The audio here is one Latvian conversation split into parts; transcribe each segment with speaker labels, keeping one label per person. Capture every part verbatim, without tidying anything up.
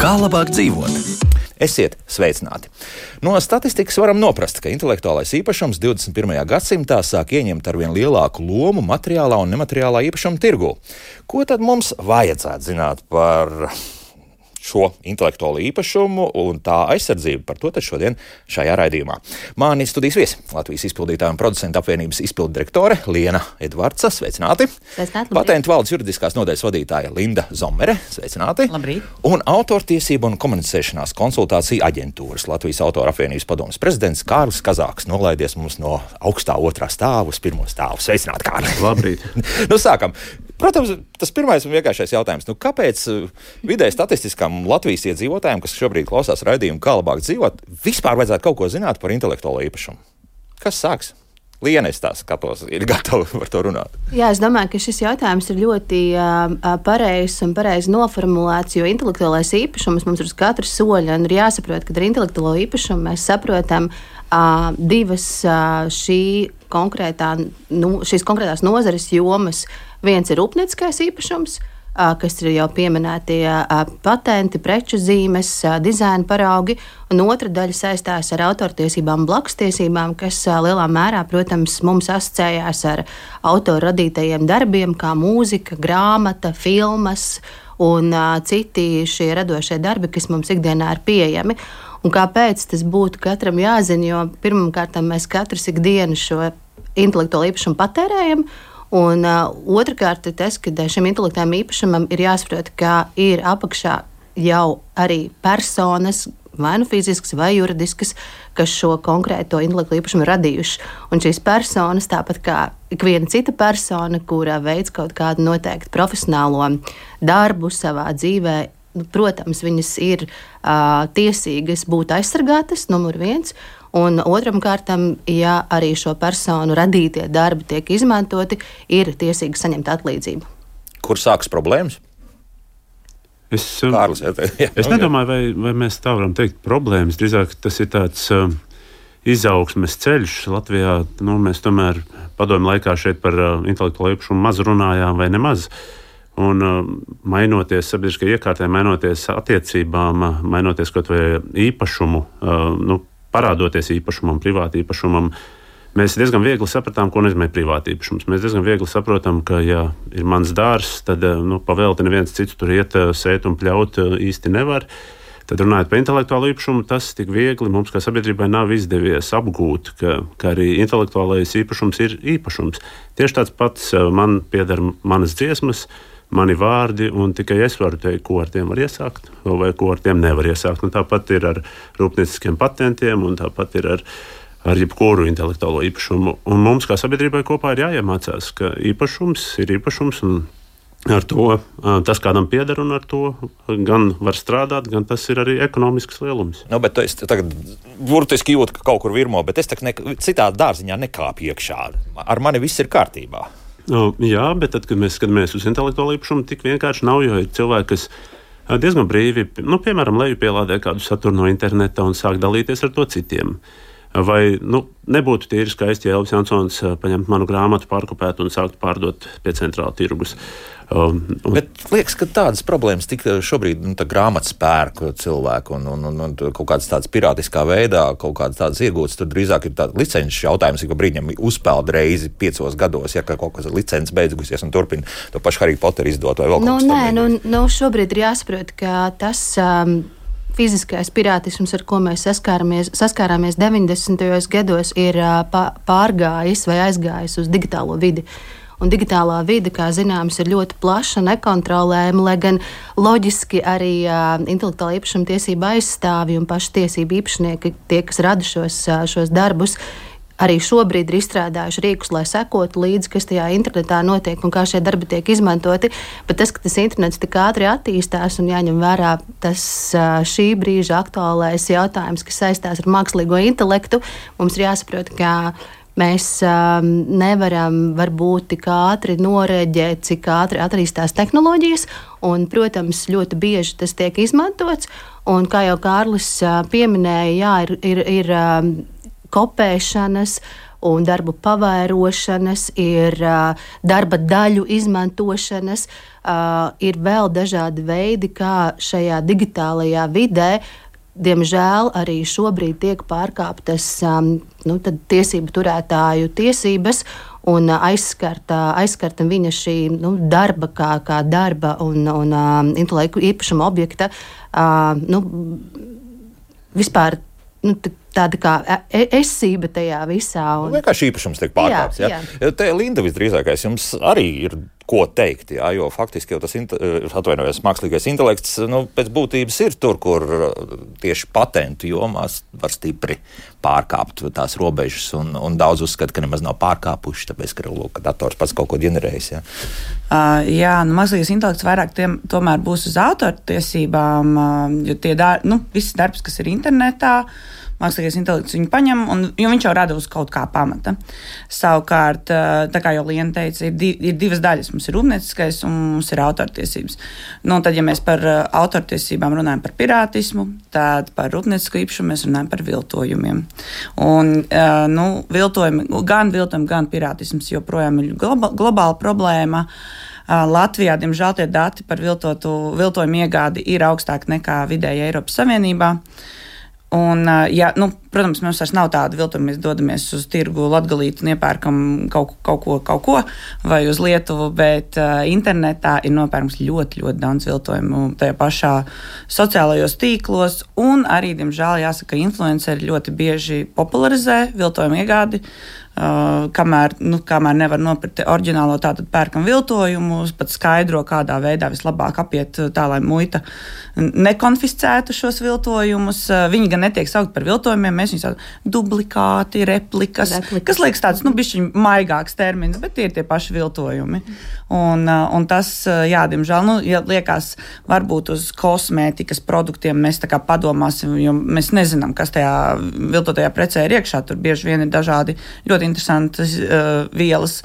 Speaker 1: Kā labāk dzīvot? Esiet sveicināti! No statistikas varam noprast, ka intelektuālais īpašums divdesmit pirmajā gadsimtā sāk ieņemt arvien lielāku lomu materiālā un nemateriālā īpašuma tirgū. Ko tad mums vajadzētu zināt par šo intelektuālo īpašumu un tā aizsardzību? Par to tad šodien šajā raidījumā. Mani studijas viesi Latvijas izpildītāja un producentu apvienības izpildu direktore Liena Edvardsa. Sveicināti!
Speaker 2: Sveicināti!
Speaker 1: Patentu valdes juridiskās nodaļas vadītāja Linda Zomere. Sveicināti!
Speaker 2: Labrīt!
Speaker 1: Un autortiesību un komunicēšanās konsultāciju aģentūras Latvijas autora apvienības padomes prezidents Kārlis Kazāks nolaidies mums no augstā otrā stāva uz pirmo stāvu. Sveicināti, Kārli!
Speaker 3: Labrīt!
Speaker 1: Nu, sākam! Protams, tas pirmais un vienkāršais jautājums. Nu, kāpēc vidēji statistiskam Latvijas iedzīvotājiem, kas šobrīd klausās raidījumu, kā labāk dzīvot, vispār vajadzētu kaut ko zināt par intelektuālo īpašumu? Kas sāks? Liena, es tā skatos, ir gatava par to runāt.
Speaker 2: Jā, es domāju, ka šis jautājums ir ļoti uh, pareizs un pareizi noformulēts, jo intelektuālais īpašums mums ir uz katra soļa, un ir jāsaprot, ka ar intelektuālo īpašumu mēs saprotam uh, divas uh, šī konkrētā, nu, šīs konkrētās nozares jomas. Viens ir rūpnieciskais īpašums, kas ir jau pieminētie patenti, preču zīmes, dizaina paraugi, un otra daļa saistās ar autortiesībām un blakstiesībām, kas lielā mērā, protams, mums asociējās ar autoru radītajiem darbiem, kā mūzika, grāmata, filmas un citi šie radošie darbi, kas mums ikdienā ir pieejami. Un kāpēc tas būtu katram jāzina, jo pirmkārt mēs katrs ikdienu šo intelektuālo īpašumu patērējam. Un uh, otrkārt ir tas, ka šim intelektuālajam īpašumam ir jāsaprot, ka ir apakšā jau arī personas, vai nu fiziskas, vai juridiskas, kas šo konkrēto intelektuālo īpašumu radījuši. Un šīs personas, tāpat kā ikviena cita persona, kura veic kaut kādu noteiktu profesionālo darbu savā dzīvē, protams, viņas ir uh, tiesīgas būt aizsargātas, numur viens. Un otram kārtam, ja arī šo personu radītie darbi tiek izmantoti, ir tiesīgi saņemt atlīdzību.
Speaker 1: Kur sākas problēmas?
Speaker 3: Es,
Speaker 1: Kārlis, jā, jā.
Speaker 3: es nedomāju, vai, vai mēs tā varam teikt problēmas. Drīzāk tas ir tāds uh, izaugsmes ceļš Latvijā. Nu, mēs tomēr padomju laikā šeit par uh, intelektuālo īpašumu maz runājām vai nemaz. Un uh, mainoties sabiedriskajai iekārtai, mainoties attiecībām, uh, mainoties kaut vai īpašumu, uh, nu, parādoties īpašumam, privāti īpašumam, mēs diezgan viegli sapratām, ko nozīmē privāti īpašums. Mēs diezgan viegli saprotam, ka, ja ir mans dārzs, tad nu, pavēlti neviens cits tur iet, sēt un pļaut īsti nevar. Tad runājot par intelektuālo īpašumu, tas tik viegli mums kā sabiedrībai nav izdevies apgūt, ka, ka arī intelektuālais īpašums ir īpašums. Tieši tāds pats man pieder manas dziesmas, mani vārdi, un tikai es varu teikt, ko ar tiem var iesākt, vai ko ar tiem nevar iesākt. Un tāpat ir ar rūpnieciskiem patentiem, un tāpat ir ar, ar jebkuru intelektuālo īpašumu. Un mums, kā sabiedrībai kopā, ir jāiemācās, ka īpašums ir īpašums, un ar to tas kādam pieder, un ar to gan var strādāt, gan tas ir arī ekonomisks lielums.
Speaker 1: Nu, bet es tagad burtiski jūtu, ka kaut kur virmo, bet es ne, citā dārziņā nekāpu iekšā. Ar mani viss ir kārtībā.
Speaker 3: No, jā, bet tad, kad mēs skatāmies uz intelektuālo īpašumu, tik vienkārši nav, jo ir cilvēki, kas diezgan brīvi, nu, piemēram, lejupielādē kādu saturu no interneta un sāk dalīties ar to citiem. Vai nu, nebūtu tīri skaisti, ja Elvis Jansons paņemtu manu grāmatu, pārkopētu un sāktu pārdot pie centrāla tirgus. Um, un...
Speaker 1: Bet liekas, ka tādas problēmas tik šobrīd nu, grāmatas pērku cilvēku un, un, un, un kaut kādas tādas pirātiskā veidā, kaut kādas tādas iegūtas, tad drīzāk ir tāds licences jautājums, ik pa brīdim uzpeld reizi piecos gados, ja kaut kas licences beigusies un turpina to pašu Harry Potteru izdot vai vēl kaut
Speaker 2: nu,
Speaker 1: kas
Speaker 2: nē,
Speaker 1: tam.
Speaker 2: Nu, nu, šobrīd ir jāsaprot, ka tas um, fiziskais pirātisms, ar ko mēs saskārāmies, saskārāmies deviņdesmitajos gados, ir uh, pārgājis vai aizgājis uz digitālo vidi. Un digitālā vide, kā zināms, ir ļoti plaša, nekontrolējama, lai gan loģiski arī uh, intelektuālā īpašuma tiesība aizstāvji un paši tiesību īpašnieki, tie, kas rada šos, uh, šos darbus, arī šobrīd ir izstrādājuši rīkus, lai sekotu līdzi, kas tajā internetā notiek un kā šie darbi tiek izmantoti. Bet tas, ka tas internets tik ātri attīstās un jāņem vērā tas uh, šī brīža aktuālais jautājums, kas saistās ar mākslīgo intelektu, mums ir jāsaprot, ka mēs um, nevaram varbūt tik ātri noreģēt, cik ātri attīstās tehnoloģijas, un, protams, ļoti bieži tas tiek izmantots, un, kā jau Kārlis uh, pieminēja, jā, ir, ir, ir um, kopēšanas un darbu pavairošanas, ir uh, darba daļu izmantošanas, uh, ir vēl dažādi veidi, kā šajā digitālajā vidē, diemžēl, arī šobrīd tiek pārkāptas um, nu, tiesību turētāju tiesības un aizskarta, aizskarta viņa šī nu, darba kā, kā darba un, un um, intelektu īpašuma objekta. Uh, nu, vispār nu, tāda kā esība tajā visā. Un...
Speaker 1: Vienkārši īpašums tiek pārkāpts. Jā, jā. Te, Linda, visdrīzākais jums arī ir ko teikt, jā, jo faktiski jau tas atvainojies mākslīgais intelekts nu, pēc būtības ir tur, kur tieši patentu jomās var stipri pārkāpt tās robežas, un, un daudz uzskata, ka nemaz nav pārkāpuši, tāpēc, ka, lūk, ka dators pats kaut ko ģenerējis. Jā,
Speaker 4: uh, jā nu, mākslīgais intelekts vairāk tiem, tomēr būs uz autortiesībām, uh, jo tie dar, nu, viss darbs, kas ir internetā, mākslīgais intelekts viņu paņem, un, jo viņš jau rada uz kaut kā pamata. Savukārt, tā kā jau Liena teica, ir, di, ir divas daļas. Mums ir rūpnieciskais un mums ir autortiesības. Nu, tad, ja mēs par autortiesībām runājam par pirātismu, tad par rūpniecisko īpašumu mēs runājam par viltojumiem. Un, nu, viltojumi, gan viltojumi, gan pirātisms joprojām ir globa, globāla problēma. Latvijā, diemžēl, tie dati par viltotu, viltojumu iegādi ir augstāki nekā vidēji Eiropas Savienībā. Un, ja, nu, protams, mums vairs nav tāda viltuma, mēs dodamies uz tirgu Latgalīti un iepērkam kaut, kaut ko, kaut ko vai uz Lietuvu, bet uh, internetā ir nopērkams ļoti, ļoti daudz viltojumu tajā pašā sociālajos tīklos, un arī, diemžēl, jāsaka, influenceri ļoti bieži popularizē viltojumu iegādi, uh, kamēr, nu, kamēr nevar nopirkt oriģinālo, tātad pērkam viltojumus, pat skaidro, kādā veidā vislabāk apiet tā, lai muita nekonfiscētu šos viltojumus. Uh, viņi gan netiek saukt par viltojumiem, mēs viņus saucam dublikāti, replikas, replikas, kas liekas tāds, nu, bišķiņ maigāks termins, bet tie ir tie paši viltojumi. Un, un tas, jā, diemžēl, nu, ja liekas, varbūt uz kosmētikas produktiem mēs tā kā padomāsim, jo mēs nezinām, kas tajā viltotajā precē ir iekšā. Tur bieži vien ir dažādi ļoti interesantas uh, vielas.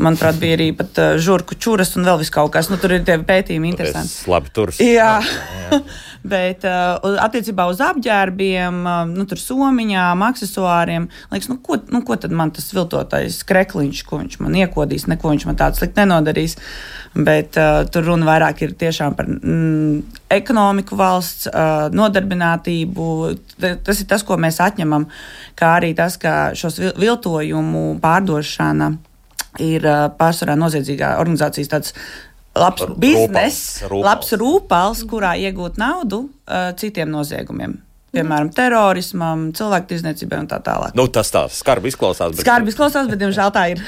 Speaker 4: Manuprāt, bija arī pat uh, žurku čuras un vēl vis kaut kas. Nu, tur ir tie pētījumi interesanti.
Speaker 1: Labi turs.
Speaker 4: Jā. jā. Bet uh, attiecībā uz apģērbiem, uh, nu, tur somiņām, aksesuāriem, liekas, nu ko, nu, ko tad man tas viltotais krekliņš, ko viņš man iekodīs, neko viņš man tāds slikti nenodarīs. Bet uh, tur runa vairāk ir tiešām par mm, ekonomiku valsts, uh, nodarbinātību. Tas ir tas, ko mēs atņemam, kā arī tas, ka šos viltojumu pārdošana ir uh, pārsvarā noziedzīgā organizācijas tāds labs bizness, labs rūpals, kurā iegūt naudu uh, citiem noziegumiem. Piemēram, terorismam, cilvēktirdzniecībai un tā tālāk.
Speaker 1: Nu, tas tā skarbi izklausās. Bet...
Speaker 4: Skarbi izklausās, bet, diemžēl, tā ir.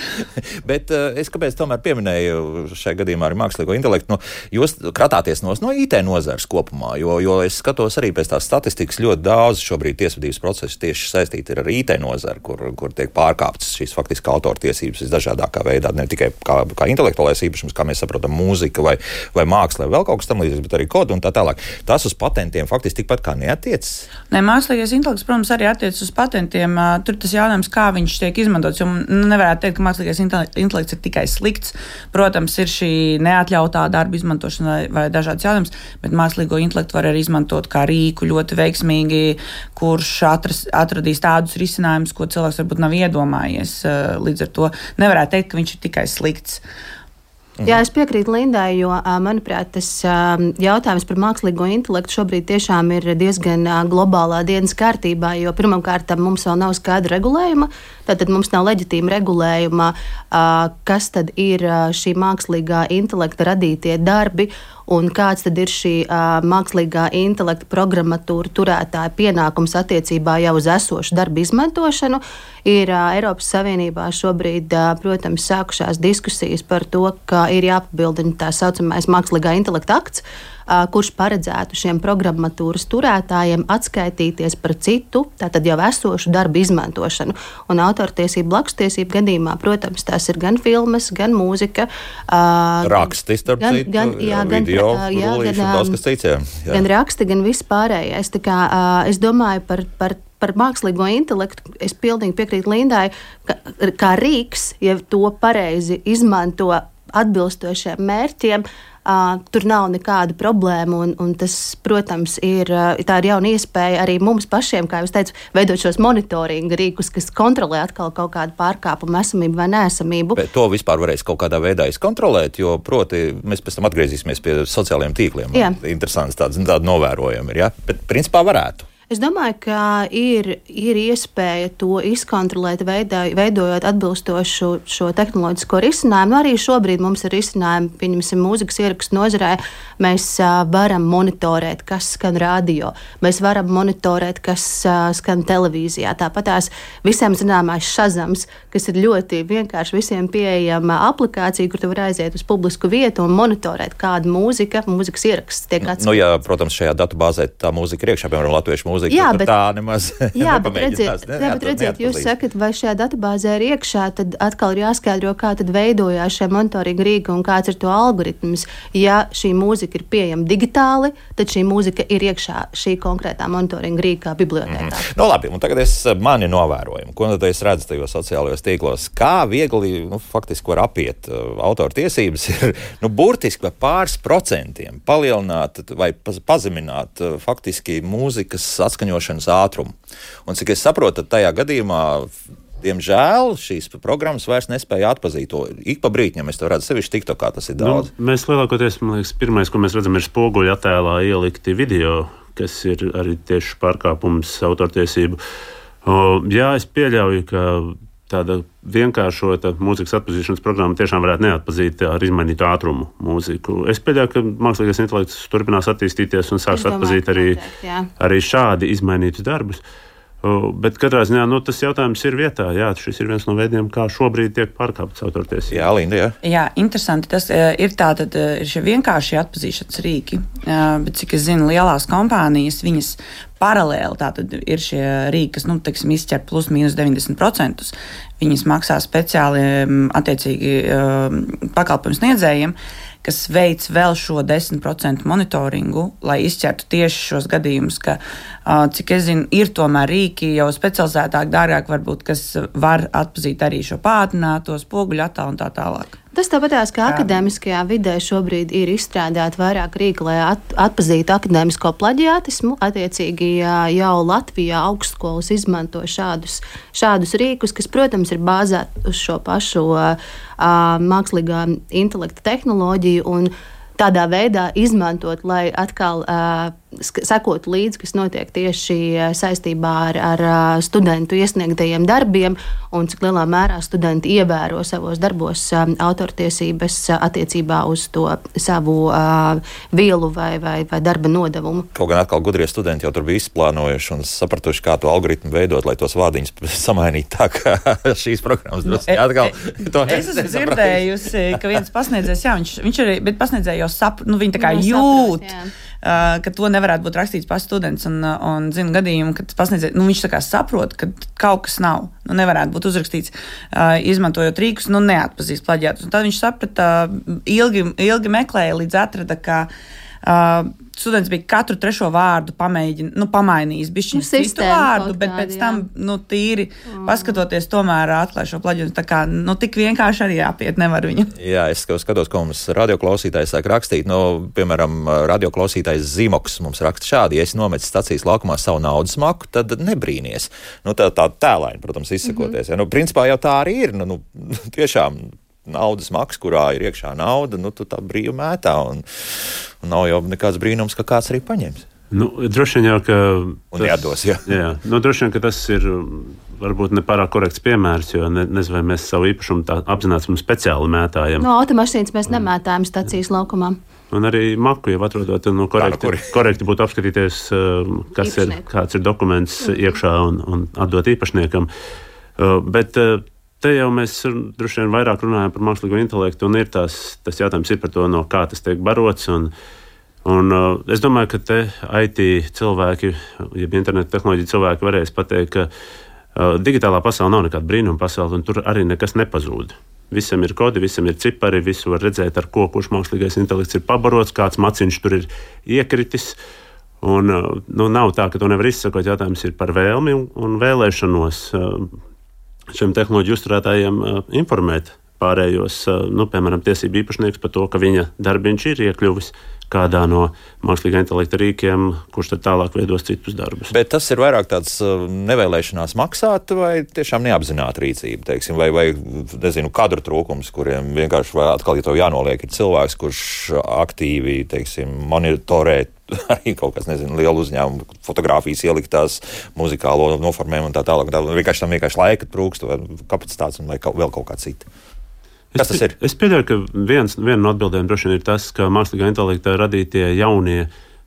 Speaker 1: bet uh, es kāpēc tomēr pieminēju šajā gadījumā arī mākslīgo intelektu, nu, jūs kratāties no, no I T nozares kopumā, jo, jo es skatos arī pēc tās statistikas ļoti daudz šobrīd tiesvedības procesu tieši saistīti ar I T nozari, kur, kur tiek pārkāptas šīs faktiski autortiesības visdažādākā veidā, ne tikai kā, kā intelektuālais īpašums, kā mēs saprotam, mūzika vai, vai māksla, vai vēl kaut kas tam līdzīgs, bet arī kodu un tā tālāk. Tas uz patentiem faktiski tikpat kā neatiecas.
Speaker 4: Nē, mākslīgais intelekts, protams, arī attiecas uz patentiem. Tur tas jautājums, kā viņš tiek izmantots, jo nevarētu teikt, ka mākslīgais intelekts ir tikai slikts. Protams, ir šī neatļautā darba izmantošana vai, vai dažādas jautājumas, bet mākslīgo intelektu var arī izmantot kā rīku ļoti veiksmīgi, kurš atras, atradīs tādus risinājumus, ko cilvēks varbūt nav iedomājies. Līdz ar to nevarētu teikt, ka viņš ir tikai slikts.
Speaker 2: Jā, es piekrītu Lindai, jo, manuprāt, tas jautājums par mākslīgo intelektu šobrīd tiešām ir diezgan globālā dienas kārtībā, jo pirmkārt mums vēl nav skaidra regulējuma, tātad mums nav leģitīma regulējuma, kas tad ir šī mākslīgā intelekta radītie darbi un kāds tad ir šī uh, mākslīgā intelekta programmatūra turētāja pienākums attiecībā jau uz esošu darbu izmantošanu. Ir uh, Eiropas Savienībā šobrīd, uh, protams, sākušās diskusijas par to, ka ir jāpabildina tā saucamais mākslīgā intelekta akts, uh, kurš paredzētu šiem programmatūras turētājiem atskaitīties par citu, tātad jau esošu darbu izmantošanu. Un autortiesību, blakustiesību gadījumā, protams, tās ir gan filmas, gan mūzika. Uh,
Speaker 1: raksti, starp
Speaker 2: gan,
Speaker 1: citu,
Speaker 2: gan, jā, gan,
Speaker 1: video,
Speaker 2: jā,
Speaker 1: rullīši,
Speaker 2: gan,
Speaker 1: daudz kas cits, jā. Jā.
Speaker 2: Gan raksti, gan viss pārējais. Tā kā, uh, es domāju par, par, par mākslīgo intelektu, es pilnīgi piekrītu Lindai, ka kā rīks, ja to pareizi izmanto atbilstošiem mērķiem, Uh, tur nav nekāda problēma, un, un tas, protams, ir, uh, tā ir jauna iespēja arī mums pašiem, kā jau teicu, veidot šos monitoringa rīkus, kas kontrolē atkal kaut kādu pārkāpumu esamību vai neesamību.
Speaker 1: Bet to vispār varēs kaut kādā veidā izkontrolēt, jo, proti, mēs pēc tam atgriezīsimies pie sociālajiem tīkliem. Jā. Interesants tāds, tāda novērojumi ir, ja? Bet principā varētu.
Speaker 2: Es domāju, ka ir, ir iespēja to izkontrolēt, veidā, veidojot atbilstošu šo tehnoloģisko risinājumu. Arī šobrīd mums ir risinājumi, pieņemsim, mūzikas ierakstu nozarē. Mēs uh, varam monitorēt, kas skan radio. Mēs varam monitorēt, kas uh, skan televīzijā. Tāpat tās visiem zināmais Shazams, kas ir ļoti vienkārši visiem pieejama aplikācija, kur tu var aiziet uz publisku vietu un monitorēt, kāda mūzika, mūzikas ieraksts tiek atskatīts.
Speaker 1: Nu, ja, protams, šajā datu-bāzē tā mūzika ir iekšā, piemēram, latviešu mūzika.
Speaker 2: Jā, bet
Speaker 1: tā nemaz
Speaker 2: jā, bet redziet, ne, bet redziet jūs sakat, vai šajā datubāzē ir iekšā, tad atkal ir jāskaidro, kā tad veidojās šie monitoringa rīki un kāds ir to algoritms. Ja šī mūzika ir pieejama digitāli, tad šī mūzika ir iekšā šī konkrētā monitoringa rīkā bibliotēkā.
Speaker 1: Mm-hmm. No labi, un tagad es mani novērojumi. Ko tad es redzu tajos sociālajos tīklos? Kā viegli, nu, faktiski var apiet uh, autora tiesības ir, nu, burtiski vai pāris procentiem palielināt vai pazemināt uh, faktiski mūzikas atskaņošanas ātrumu. Un cik es saprotu, tad tajā gadījumā, diemžēl, šīs programmas vairs nespēja atpazīt to. Ik pa brītņam es to redzu, sevišķi TikTokā tas ir daudz.
Speaker 3: Nu, mēs lielākoties, man liekas, pirmais, ko mēs redzam, ir spoguļu attēlā ielikti video, kas ir arī tieši pārkāpums autortiesību. O, jā, es pieļauju, ka tāda vienkāršota mūzikas atpazīšanas programma tiešām varētu neatpazīt ar izmainītu ātrumu mūziku. Es pieļauju, ka mākslīgais intelekts turpinās attīstīties un sāks atpazīt arī, arī šādi izmainītus darbus. Bet katrā ziņā nu, tas jautājums ir vietā. Jā, šis ir viens no veidiem, kā šobrīd tiek pārkāptas autortiesības.
Speaker 1: Jā, Linda, jā.
Speaker 4: Jā, interesanti. Tas ir tātad ir šie vienkāršie atpazīšanas rīki, bet cik es zinu, lielās kompānijas, viņas paralēli tātad ir šie rīki, kas, nu, teiksim, izķer plus mīnus deviņdesmit procentus. Viņas maksā speciāli attiecīgi pakalpojumu sniedzējiem, kas veic vēl šo desmit procentu monitoringu, lai izķertu tieši šos gadījumus, ka, cik es zinu, ir tomēr rīki jau specializētāk, dārgāk varbūt, kas var atpazīt arī šo pātrināto spoguļu attēlu un tā tālāk.
Speaker 2: Tas tāpatās, ka akadēmiskajā vidē šobrīd ir izstrādāti vairāk rīki, lai at, atpazītu akadēmisko plaģiātismu. Attiecīgi jau Latvijā augstskolas izmanto šādus, šādus rīkus, kas, protams, ir bāzēti uz šo pašu uh, mākslīgā intelekta tehnoloģiju un tādā veidā izmantot, lai atkal uh, sekotu līdzi, kas notiek tieši saistībā ar, ar studentu iesniegtajiem darbiem un cik lielā mērā studenti ievēro savos darbos um, autortiesības attiecībā uz to savu uh, vielu vai, vai, vai darba nodevumu.
Speaker 1: Kaut gan atkal gudrie studenti jau tur bija izplānojuši un sapratuši, kā to algoritmu veidot, lai tos vārdiņus samainītu tā, ka šīs programmas drusku atkal. To
Speaker 4: es esmu dzirdējusi, ka viens pasniedzējs, jā, viņš, viņš arī, bet pasniedzēja jau saprot, nu viņi tā kā jūt, saprot, Uh, ka to nevarētu būt rakstīts pats students un, un zinu gadījumu, ka pasniedzēja, nu viņš tā kā saprot, ka kaut kas nav, nu nevarētu būt uzrakstīts, uh, izmantojot rīkus, nu neatpazīst plaģiātus. Un tad viņš saprata, uh, ilgi, ilgi meklēja, līdz atrada, ka uh, students bija katru trešo vārdu pamēģin, nu, pamainījis bišķiņu
Speaker 2: nu,
Speaker 4: citu vārdu, bet
Speaker 2: kādi,
Speaker 4: pēc tam, nu, tīri mm. paskatoties, tomēr atklāja šo plaģiātu. Tā kā, nu, tik vienkārši arī jāpiet nevar viņu.
Speaker 1: Jā, es skatos, ko mums radioklausītājs sāk rakstīt. Nu, piemēram, radioklausītājs Zimoks mums raksta šādi: ja es nometu stacijas laukumā savu naudas maku, tad nebrīnies. Nu, tā, tā tēlaini, protams, izsakoties. Mm-hmm. Ja, nu, principā jau tā arī ir. Nu, nu, tiešām naudas maks, kurā ir iekšā nauda, nu, tu tā brīvi mētā, un, un nav jau nekāds brīnums, ka kāds arī paņems.
Speaker 3: Nu, droši vien jau, ka
Speaker 1: un jādos, jā.
Speaker 3: jā. Nu, droši vien, ka tas ir varbūt nepārāk korekts piemērs, jo ne, nezinu, vai mēs savu īpašumu tā apzināti un speciāli mētājam.
Speaker 2: No automašīnas mēs nemētājam stacijas laukumā.
Speaker 3: Un arī maku jau atrodot, nu, korekti, Tā, nu, korekti būtu apskatīties, kas ir, kāds ir dokuments mm-hmm. iekšā un, un atdot īpašniekam. Bet te jau mēs droši vien vairāk runājam par mākslīgo intelektu, un ir tās, tas jautājums ir par to, no kā tas tiek barots. Un, un uh, es domāju, ka te I T cilvēki, jeb interneta tehnoloģija cilvēki varēs pateikt, ka uh, digitālā pasaule nav nekāda brīnuma pasaule, un tur arī nekas nepazūd. Visam ir kodi, visam ir cipari, visu var redzēt, ar ko kurš mākslīgais intelekts ir pabarots, kāds maciņš tur ir iekritis. Un, uh, nu, nav tā, ka to nevar izsakot. Jautājums ir par vēlmi un, un vēlēšanos uh, šiem tehnoloģiju uzturētājiem uh, informēt pārējos, nu, piemēram, tiesību īpašnieks par to, ka viņa darbiņš ir iekļuvis kādā no mākslīgā intelekta rīkiem, kurš tad tālāk veidos citus darbus.
Speaker 1: Bet tas ir vairāk tāds nevēlēšanās maksāt vai tiešām neapzināta rīcība, teiksim, vai, vai nezinu, kadru trūkums, kuriem vienkārši vai atkal, ja to jānoliek, ir cilvēks, kurš aktīvi, teiksim, monitorē arī kaut kas, nezinu, lielu uzņēmumu, fotogrāfijas ieliktās, muzikālo noformējumu un tā tālāk. Tā, vienkārši tam vienkārši laika trūkst, vai kapacitātes un vai kaut, vēl kaut kā cita. Kas tas ir?
Speaker 3: Es pieļauju, ka viens, viena no atbildēm droši vien ir tas, ka mākslīgā intelekta radītie jaunie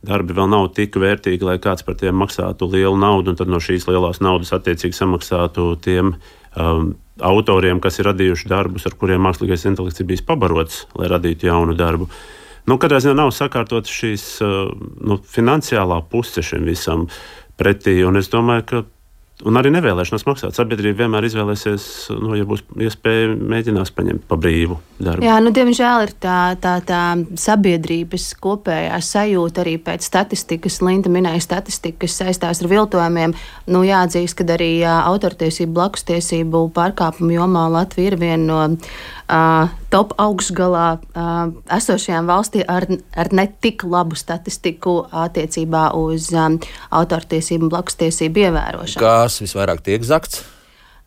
Speaker 3: darbi vēl nav tik vērtīgi, lai kāds par tiem maksātu lielu naudu, un tad no šīs lielās naudas attiecīgi samaksātu tiem um, autoriem, kas ir radījuši darbus, ar kuriem mākslīgais intelekts ir bijis pabarots, lai radītu jaunu darbu. Nu, katrā ziņā nav sakārtot šīs uh, nu, finansiālā puse šim visam pretī, un es domāju, ka un arī nevēlēšanās maksāt. Sabiedrība vienmēr izvēlēsies, nu, ja būs iespēja, mēģinās paņemt pa brīvu darbu.
Speaker 2: Jā, nu, diemžēl ir tā, tā, tā sabiedrības kopējā sajūta arī pēc statistikas. Linda minēja statistiku, kas saistās ar viltojumiem. Nu, jāatzīst, ka arī uh, autortiesību, blakustiesību pārkāpumu jomā Latvija ir viena no uh, top augšgalā uh, esošajām valstī ar, ar ne tik labu statistiku attiecībā uz um, autortiesību un blakustiesību ievērošanu.
Speaker 1: Kas visvairāk tiek zakts?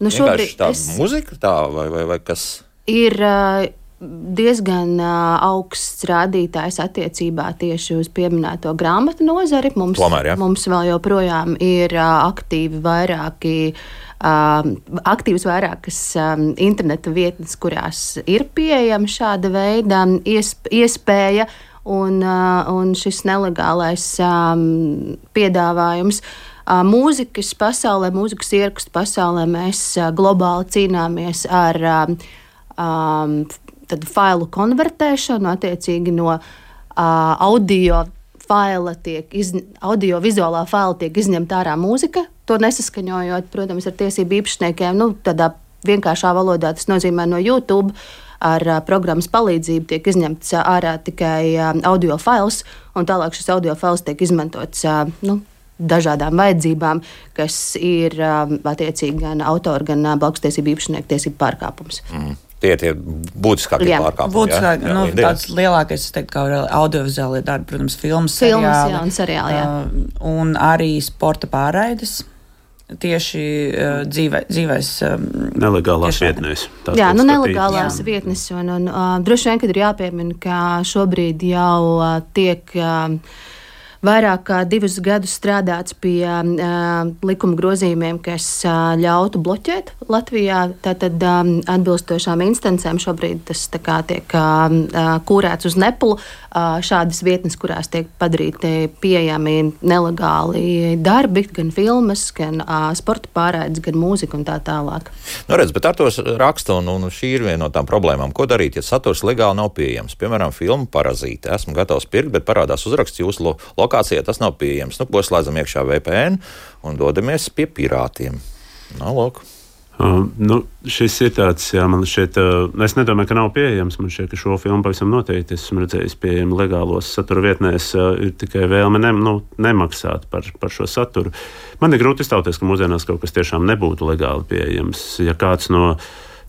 Speaker 2: Nu,
Speaker 1: šobrīd tā
Speaker 2: es...
Speaker 1: muzika tā vai, vai, vai kas?
Speaker 2: Ir uh, diezgan uh, augsts rādītājs attiecībā tieši uz pieminēto grāmatu nozari. Mums,
Speaker 1: Tomēr, ja?
Speaker 2: mums vēl joprojām ir uh, aktīvi vairāki, uh, aktīvas vairākas um, interneta vietnes, kurās ir pieejama šāda veida iesp- iespēja un, uh, un šis nelegālais um, piedāvājums. Uh, mūzikas pasaulē, mūzikas ierakstu pasaulē mēs uh, globāli cīnāmies ar um, um, tad failu konvertēšanu, attiecīgi no uh, audio faila tiek, iz, audio-vizuālā faila tiek izņemta ārā mūzika, to nesaskaņojot, protams, ar tiesību īpašniekiem. Nu, tādā vienkāršā valodā tas nozīmē no YouTube ar uh, programmas palīdzību tiek izņemts uh, ārā tikai uh, audio fails, un tālāk šis audio fails tiek izmantots, uh, nu, dažādām vajadzībām, kas ir um, attiecīgi gan autora, gan uh, blakustiesību īpašnieku tiesību pārkāpums.
Speaker 1: Mm. Tie ir tie būtiskākie
Speaker 2: Jā.
Speaker 1: pārkāpumi.
Speaker 4: Būtiskāk,
Speaker 1: jā? Jā,
Speaker 4: nu,
Speaker 1: jā,
Speaker 4: tāds lielākais, es teiktu, kā audiovizuālie darbi, protams, filmas,
Speaker 2: Filmas,
Speaker 4: seriāli,
Speaker 2: jā, un seriāli, jā.
Speaker 4: Uh, un arī sporta pārraides. Tieši uh, dzīvē, dzīvēs um,
Speaker 3: Nelegālās
Speaker 4: tiešām.
Speaker 3: vietnēs.
Speaker 2: Jā, nu
Speaker 3: skatīt.
Speaker 2: nelegālās jā. vietnes. Un, un, uh, droši vien, kad ir jāpiemina, ka šobrīd jau uh, tiek uh, vairāk kā divus gadus strādāts pie uh, likuma grozījumiem, kas uh, ļautu bloķēt Latvijā. Tātad um, atbilstošām instancēm šobrīd tas tā kā tiek uh, kūrēts uz nepulu. Uh, šādas vietnes, kurās tiek padarīti pieejami nelegāli darbi, gan filmas, gan uh, sporta pārraides, gan mūzika un tā tālāk.
Speaker 1: Nu, redz, bet ar to raksta, un, un šī ir viena no tām problēmām. Ko darīt, ja saturs legāli nav pieejams? Piemēram, filma Parazīte. Esmu gatavs pirkt, bet parādās uzraksts jūsu lo lokācijā, tas nav pieejams. Nu, ko slēdzam iekšā V P N un dodamies pie pirātiem. Nu, lūk.
Speaker 3: Uh, nu, šis ir tāds, jā, man šeit, uh, es nedomāju, ka nav pieejams. Man šķiet, ka šo filmu pavisam noteikti esmu redzējis pieejami legālos satura vietnēs. Uh, ir tikai vēlme ne, nu, nemaksāt par, par šo saturu. Man ir grūti iztauties, ka mūsdienās kaut kas tiešām nebūtu legāli pieejams. Ja kāds no,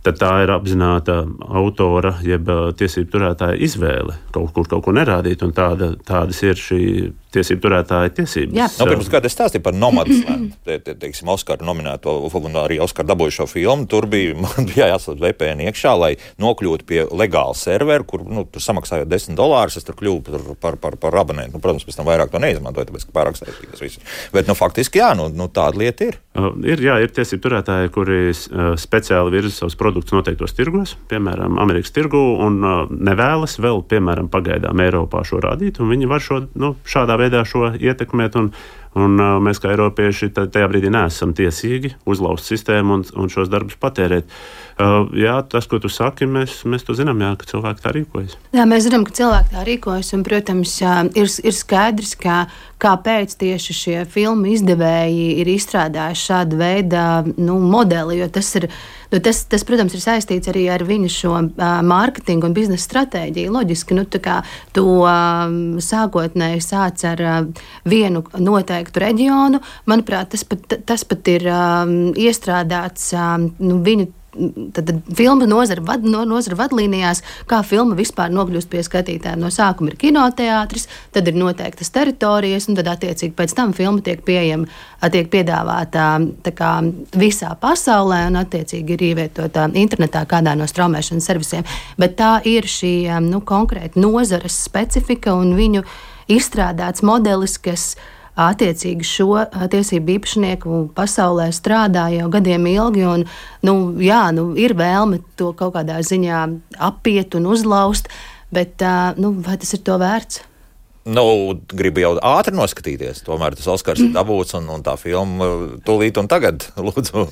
Speaker 3: tad tā ir apzināta autora, jeb tiesību turētāja izvēle kaut kur kaut ko nerādīt, un tāda, tādas ir šī tiesību turētāja tiesības.
Speaker 2: Jā.
Speaker 1: Nu, pirms gada es stāstīju par Nomadland, te, te, teiksim, Oskaru nominēto, un arī Oskaru dabūjušo filmu. Tur bija, man bija jāslēdz V P N iekšā, lai nokļūtu pie legāla servera, kur, nu, tur samaksājot desmit dolārus, es tur kļuvu par, par, par, par abonentu. Nu, protams, pēc tam vairāk to neizmantoju, tāpēc, ka pārāk saistības visu. Bet, nu, faktiski, jā, nu, nu tāda lieta ir.
Speaker 3: Uh, ir, jā, ir tiesību turētāji, kuri uh, speciāli virza savus produktus noteiktos tirgos, piemēram, Amerikas tirgu, un uh, nevēlas vēl, piemēram, pagaidām Eiropā šo rādīt, un viņi var šo, nu, šādā veidā šo ietekmēt, un, un uh, mēs kā eiropieši tajā brīdī neesam tiesīgi uzlauzt sistēmu un, un šos darbus patērēt. Uh, jā, tas, ko tu saki, mēs, mēs to zinām, jā, ka cilvēki tā rīkojas.
Speaker 2: Jā, mēs zinām, ka cilvēki tā rīkojas, un, protams, ir, ir skaidrs, ka kāpēc tieši šie filmu izdevēji ir izstrādājuši šādu veidu nu, modeli, jo tas ir, nu, tas, tas, protams, ir saistīts arī ar viņu šo uh, mārketingu un biznesa stratēģiju. Loģiski, nu, tā kā tu uh, sākotnēji sāc ar uh, vienu noteiktu reģionu, manuprāt, tas pat, tas pat ir um, iestrādāts um, nu, viņu tad, tad filmu nozara, vad, no, nozara vadlīnijās, kā filma vispār nokļūst pie skatītāja. No sākuma ir kinoteātris, tad ir noteiktas teritorijas, un tad attiecīgi pēc tam filma tiek pieejama, tiek piedāvāta tā kā visā pasaulē, un attiecīgi ir ievietota internetā kādā no straumēšanas servisiem. Bet tā ir šī nu, konkrēta nozares specifika un viņu izstrādāts modelis, kas attiecīgi šo tiesību īpašnieku pasaulē strādā jau gadiem ilgi, un nu, jā, nu, ir vēlme to kaut kādā ziņā apiet un uzlaust, bet nu, vai tas ir to vērts?
Speaker 1: Nu, gribu jau ātri noskatīties, tomēr tas Oskars ir dabūts un, un tā filma tūlīt un tagad, lūdzu,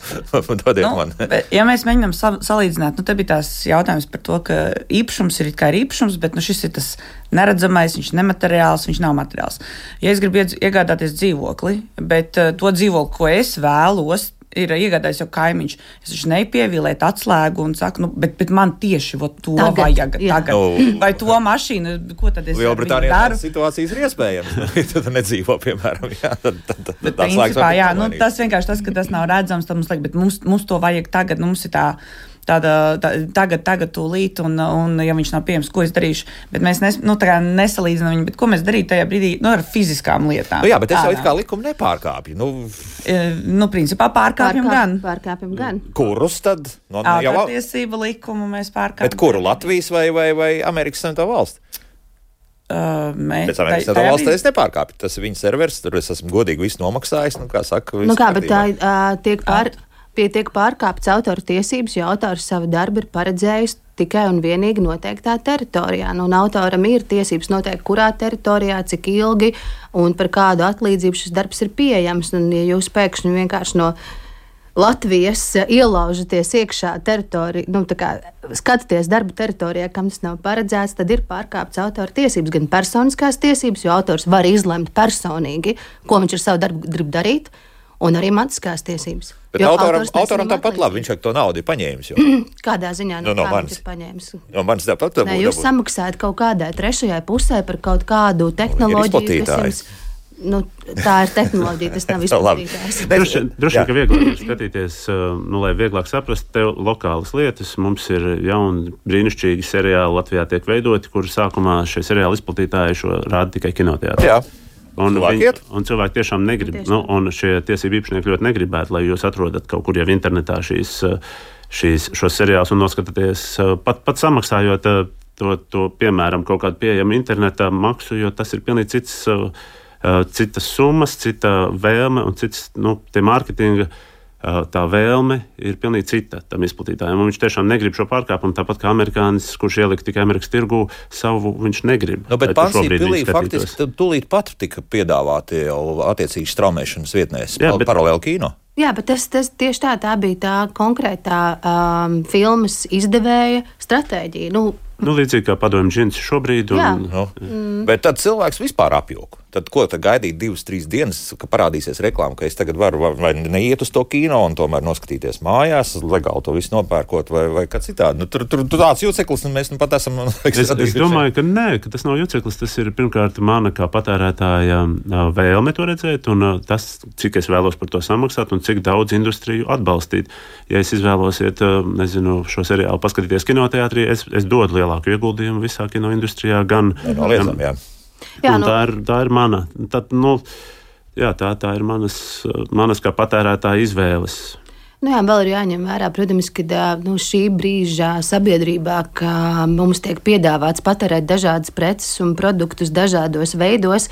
Speaker 1: dodiet
Speaker 4: nu,
Speaker 1: man.
Speaker 4: Bet, ja mēs mēģinām sa- salīdzināt, nu te bija tās jautājums par to, ka īpašums ir it kā ir īpašums, bet nu, šis ir tas neredzamais, viņš nemateriāls, viņš nav materiāls. Ja es gribu iegādāties dzīvokli, bet uh, to dzīvokli, ko es vēlos, ir iegādājis jau kaimiņš. Es viņš nepievilētu atslēgu un saku, nu, bet, bet man tieši vo, to tagad, vajag jā. tagad.
Speaker 1: Nu,
Speaker 4: vai to mašīnu, ko tad es
Speaker 1: Lielbritānijā tādas situācijas ir iespējams. Tad nedzīvo, piemēram. Jā, tad, tad, tad,
Speaker 4: bet principā, jā, nu, tas vienkārši tas, ka tas nav redzams, tad mums liek, bet mums, mums to vajag tagad, nu, mums ir tā, tāda, tā, tagad, tagad tūlīt, un, un ja viņš nav pieejams, ko es darīšu. Bet mēs nes, nu, tā kā nesalīdzinām viņu, bet ko mēs darītu tajā brīdī, nu, ar fiziskām lietām.
Speaker 1: Nu, jā, bet es jau it kā likumu nepārkāpju. Nu,
Speaker 4: e, nu principā pārkāpjam
Speaker 2: Pārkāp,
Speaker 4: gan.
Speaker 2: Pārkāpjam gan.
Speaker 1: Kurus tad? No,
Speaker 4: Autortiesību likumu mēs pārkāpjam.
Speaker 1: Bet kuru? Latvijas vai, vai, vai Amerikas Savienoto Valsti?
Speaker 4: Uh, mēs,
Speaker 1: Pēc Amerikas Savienoto Valsti es nepārkāpju. Tas ir viņa servers, tur es esmu godīgi visu nomaksājis. Nu, kā saka,
Speaker 2: nu kā, bet tā uh, tiek pār... Pie tiek pārkāptas autora tiesības, jo autors savu darbu ir paredzējis tikai un vienīgi noteiktā teritorijā. Nu, un autoram ir tiesības noteikt, kurā teritorijā, cik ilgi un par kādu atlīdzību šis darbs ir pieejams. Un, ja jūs pēkšņi vienkārši no Latvijas ielaužaties iekšā teritoriju, nu, tā kā skatāties darba teritorijā, kam tas nav paredzēts, tad ir pārkāptas autora tiesības, gan personiskās tiesības, jo autors var izlemt personīgi, ko viņš ar savu darbu grib darīt, un arī mantiskās tiesības.
Speaker 1: Bet autoram, autoram tāpat labi, viņš to naudu ir paņēmis. Jo.
Speaker 2: Kādā ziņā
Speaker 1: no,
Speaker 2: no,
Speaker 1: no
Speaker 2: kā
Speaker 1: manis.
Speaker 2: viņš ir paņēmis?
Speaker 1: No manis tāpat
Speaker 2: Nē, jūs samaksājat kaut kādai trešajai pusē par kaut kādu tehnoloģiju, kas jums... Nu, tā ir tehnoloģija, tas nav izplatītājs.
Speaker 3: Droši vien, ka vieglāk ir skatīties, nu, lai vieglāk saprast tev lokālas lietas. Mums ir jauni, brīnišķīgi seriāli Latvijā tiek veidoti, kur sākumā šie seriāli izplatītāji šo rāda tikai kinoteātrī.
Speaker 1: Jā.
Speaker 3: Un,
Speaker 1: cilvēki
Speaker 3: viņi, un cilvēki tiešām negrib, tiešām. Nu, un šie tiesību īpašnieki ļoti negribētu, lai jūs atrodat kaut kur jau internetā šīs, šīs, šos seriālus un noskatāties, pat, pat samaksājot to, to, piemēram, kaut kādu pieejamu internetā maksu, jo tas ir pilnīgi cits, citas summas, cita vēlme un cits, nu, tie mārketinga. Tā vēlme ir pilnīgi cita tam izplatītājiem. Viņš tiešām negrib šo pārkāpumu, tāpat kā amerikānis, kurš ielika tikai Amerikas tirgū, savu viņš negrib.
Speaker 1: Nu, bet Pansija pilī faktiski tūlīt pat tika piedāvāti jau attiecīgi straumēšanas vietnēs, Jā, bet... paralēli kino.
Speaker 2: Jā, bet tas, tas tieši tā, tā bija tā konkrētā um, filmas izdevēja stratēģija. Nu,
Speaker 3: Nu, līdzīgi kā padomju džins šobrīd. Un,
Speaker 1: nu, mm. Bet tad cilvēks vispār apjūka. Tad ko tad gaidīt divas, trīs dienas, ka parādīsies reklāma, ka es tagad varu vai neiet uz to kino un tomēr noskatīties mājās, legāli to visu nopērkot vai, vai kā citādi. Nu, tur, tur, tur tāds juceklis, un mēs nu pat esam...
Speaker 3: Es, es domāju, ka nē, ka tas nav juceklis. Tas ir pirmkārt mana kā patērētāja vēlme to redzēt, un tas, cik es vēlos par to samaksāt un cik daudz industriju atbalstīt. Ja es izvēlos iet, nezinu, šo seriālu paskatīties kinoteātrī, es, es dodu lielāku ieguldījumu visā kinoindustrijā, gan...
Speaker 1: No, liecam, jā.
Speaker 2: Jā, nu,
Speaker 3: tā, ir, tā ir mana. Tad, nu, jā, tā, tā ir manas, manas kā patērētāja izvēles.
Speaker 2: Nu jā, vēl ir jāņem vērā, protams, ka nu, šī brīža sabiedrībā, ka mums tiek piedāvāts patērēt dažādas preces un produktus dažādos veidos,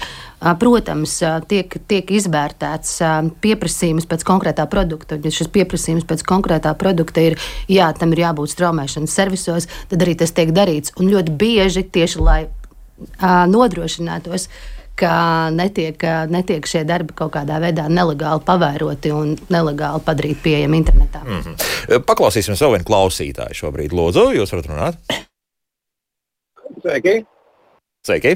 Speaker 2: protams, tiek, tiek izvērtēts pieprasījums pēc konkrētā produkta. Ja šis pieprasījums pēc konkrētā produkta ir, jā, tam ir jābūt straumēšanas servisos, tad arī tas tiek darīts. Un ļoti bieži tieši, lai nodrošinātos, ka netiek, netiek šie darbi kaut kādā veidā nelegāli pavēroti un nelegāli padarīti pieejami internetā.
Speaker 1: Mm-hmm. Paklausīsim savu vienu klausītāju šobrīd. Lūdzu, jūs varat runāt?
Speaker 5: Sveiki!
Speaker 1: Sveiki!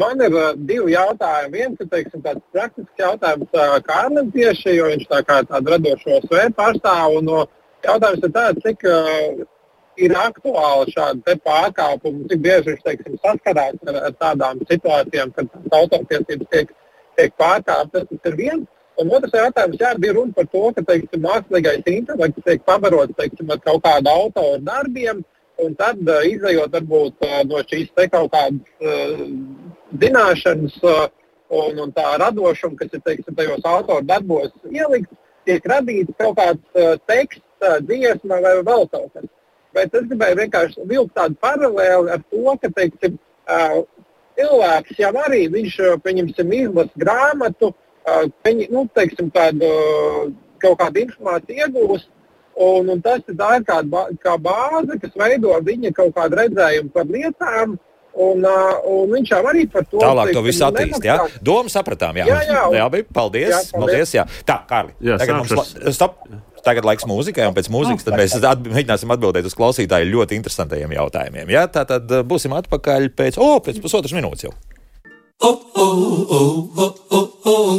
Speaker 5: Man ir uh, divi jautājumi. Viens ir, teiksim, tāds praktisks jautājums uh, Kārlim tieši, jo viņš tā kā tādu radošo sfēru pārstāv. Un uh, jautājums ir tāds, cik uh, ir aktuāli šādi te pārkāpumi, cik bieži viņš, teiksim, saskarās ar, ar tādām situācijām, kad autortiesības tiek, tiek pārkāptas. Tas ir viens. Un otrs jautājums, jā, bija runa par to, ka, teiksim, mākslīgais intelekts tiek pabarots, teiksim, ar kaut kādu autoru darbiem, un tad uh, izējot varbūt uh, no šīs te kaut kādas uh, zināšanas uh, un, un tā radošuma, kas ir, teiksim, tajos autoru darbos ielikt, tiek radīts kaut kāds uh, teksts, uh, dziesma vai vēl kaut kas. Bet es gribēju vienkārši vilkt tādu paralēli ar to, ka, teiksim, uh, cilvēks jau arī, viņš, pieņemsim, izlas grāmatu, uh, viņi, nu, teiksim, tādu, kaut kādu informāciju iegūst, un, un tas tā ir kā, kā bāze, kas veido viņa kaut kādu redzējumu par lietām, un, uh, un viņš jau arī par to...
Speaker 1: Tālāk to visu attīst, jā? Domu sapratām, jā.
Speaker 5: Jā, jā. Un,
Speaker 1: jā, bija, paldies, jā, paldies. paldies, jā. Tā, Kārli,
Speaker 3: jā,
Speaker 1: tagad mums... Stop! Tagad laiks mūzikai, un pēc mūzikas tad mēs at, mēģināsim atbildēt uz klausītāju ļoti interesantajiem jautājumiem. Ja? Tā tad būsim atpakaļ pēc, o, pēc pusotras minūtes jau.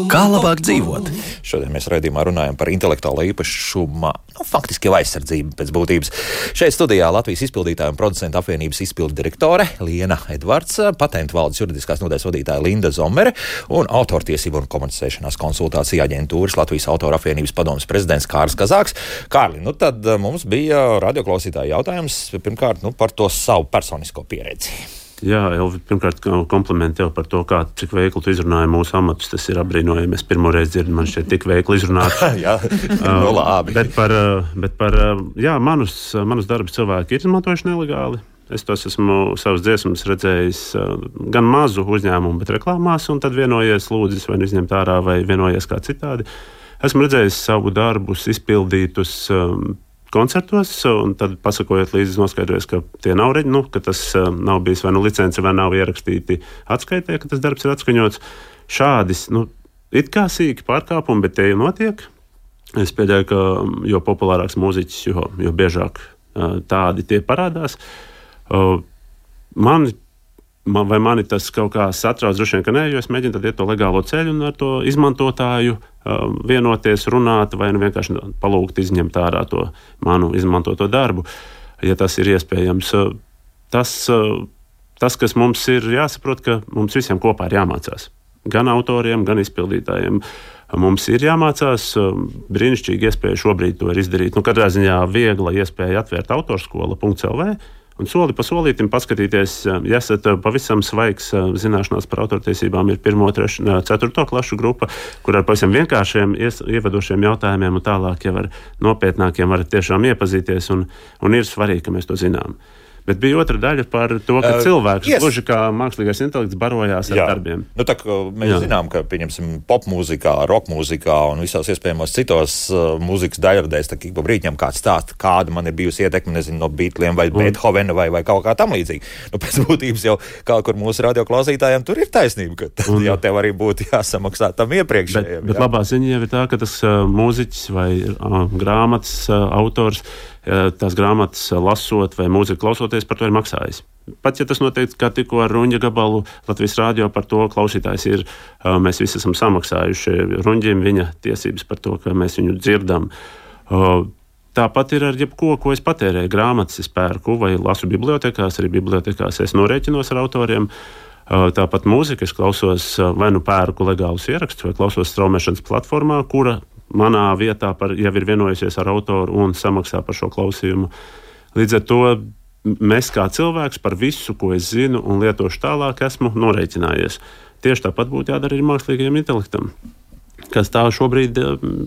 Speaker 6: Kā labāk dzīvot?
Speaker 1: Šodien mēs raidījumā runājam par intelektuālo īpašumu, nu, faktiski jau aizsardzību pēc būtības. Šeit studijā Latvijas izpildītāju un producentu apvienības izpildu direktore Liena Edvards, patentu valdes juridiskās nodaļas vadītāja Linda Zomere un autortiesību un komunicēšanās konsultācija aģentūras Latvijas autoru apvienības padomes prezidents Kārlis Kazāks. Kārli, nu tad mums bija radioklausītāja jautājums pirmkārt nu, par to savu personisko pieredzi.
Speaker 3: Jā, Elvi, pirmkārt, komplimenti tev par to, kā, cik veikli tu izrunāji mūsu amatus. Tas ir apbrīnojami. Es pirmo reizi dzirdu, man šķiet tik veikli izrunāt.
Speaker 1: jā, no labi.
Speaker 3: Bet par, bet par jā, manus, manus darbus cilvēki ir izmantojuši nelegāli. Es tos esmu savas dziesmas redzējis gan mazu uzņēmumu, bet reklāmās, un tad vienojies lūdzis vai izņemt ārā, vai vienojies kā citādi. Esmu redzējis savu darbus izpildītus um, koncertos, un tad pasakojot līdzi noskaidrojas, ka tie nav reģi, nu, ka tas uh, nav bijis vai nu licence, vai nav ierakstīti atskaitē, ka tas darbs ir atskaņots. Šādis, nu, it kā sīki pārkāpumi, bet tie jau notiek. Es pieļauju, ka jo populārāks mūziķis, jo, jo biežāk uh, tādi tie parādās. Uh, man, man, vai mani tas kaut kā satrauc, droši vien, ka nē, jo es mēģinu tad iet to legālo ceļu un ar to izmantotāju vienoties, runāt vai nu vienkārši palūgt izņemt ārā to manu izmantoto darbu, ja tas ir iespējams. Tas, tas, kas mums ir jāsaprot, ka mums visiem kopā ir jāmācās. Gan autoriem, gan izpildītājiem. Mums ir jāmācās, brīnišķīgi iespēja šobrīd to ir izdarīt. Nu, katrā ziņā viegla iespēja atvērt autorskola punkt el vē. Un soli pa solītim paskatīties, ja esat pavisam svaigs zināšanās par autortiesībām, ir pirmo, trešu, ceturto klašu grupa, kur ar pavisam vienkāršiem ievadošiem jautājumiem un tālāk jau ar nopietnākiem varat tiešām iepazīties, un, un ir svarīgi, ka mēs to zinām. Bet bija otra daļa par to, ka uh, cilvēks, yes. gluži kā mākslīgais intelekts, barojās ar Jā. darbiem.
Speaker 1: Nu, tā, mēs Jā. zinām, ka, pieņemsim, popmūzikā, rokmūzikā un visās iespējamos citos uh, mūzikas daļradēs, tā kā pa brīķiem kāds stāsta, kāda man ir bijusi ietekme, nezinu, no Beatliem vai un. Beethovena vai, vai kaut kā tam līdzīgi. Nu, pēc būtības jau kā kur mūsu radioklausītājiem tur ir taisnība, ka tad un. jau tev arī būtu jāsamaksā tam iepriekšējiem.
Speaker 3: Bet, bet labā ziņa jau ir tā, ka tas uh, mūziķis vai uh, grāmatas uh, autors tās grāmatas lasot vai mūziku klausoties, par to ir maksājis. Pat ja tas noteikti, kā tikko ar Ruņģa gabalu Latvijas rādio par to klausītājs ir, mēs visi esam samaksājuši Ruņģim viņa tiesības par to, ka mēs viņu dzirdam. Tāpat ir ar jebko, ko es patērēju. Grāmatas es pērku vai lasu bibliotekās, arī bibliotekās es norēķinos ar autoriem. Tāpat mūzika es klausos vai nu pērku legālus ierakstus vai klausos straumēšanas platformā, kura manā vietā par, jau ir vienojusies ar autoru un samaksā par šo klausījumu. Līdz ar to mēs kā cilvēks par visu, ko es zinu un lietošu tālāk, esmu norēķinājies. Tieši tāpat būtu jādara arī mākslīgajam intelektam, kas tā šobrīd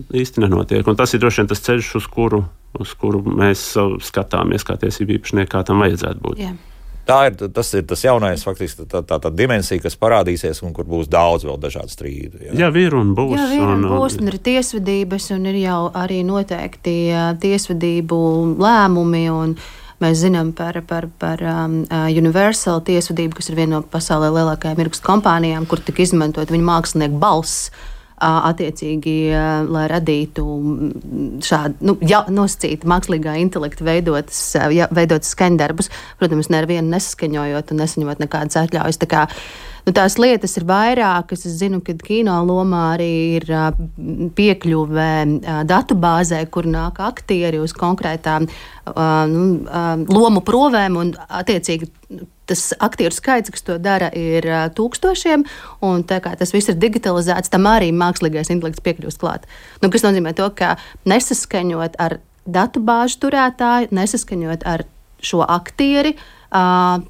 Speaker 3: īsti nenotiek. Un tas ir droši vien tas ceļš, uz kuru, uz kuru mēs skatāmies kā tiesību īpašnieki, kā tam vajadzētu būt.
Speaker 2: Yeah.
Speaker 1: Tā ir, tas ir tas jaunais, faktiski tā, tā, tā dimensija, kas parādīsies un kur būs daudz vēl dažādu strīdu.
Speaker 3: Jā, jā ir un būs.
Speaker 2: Jā, ir un, un būs, un ir tiesvedības, un ir jau arī noteikti tiesvedību lēmumi, un mēs zinām par, par, par um, Universal tiesvedību, kas ir viena no pasaulē lielākajām ierakstu kompānijām, kur tika izmantot viņa mākslinieku balss, attiecīgi, lai radītu šādu, nu, ja, nosacītu mākslīgā intelekta veidotas, ja, veidotas skaņdarbus, protams, nevienu nesaskaņojot un nesaņemot nekādas atļaujas. Tā kā Nu, tās lietas ir vairākas. Es zinu, ka kino lomā arī ir piekļuve datubāzē, kur nāk aktieri uz konkrētām nu, lomu provēm un attiecīgi tas aktieru skaits, kas to dara, ir uh, tūkstošiem, un tā kā tas viss ir digitalizēts, tam arī mākslīgais intelekts piekļūst klāt. Nu, kas nozīmē to, ka nesaskaņot ar datubāžu turētāju, nesaskaņot ar šo aktieri, uh,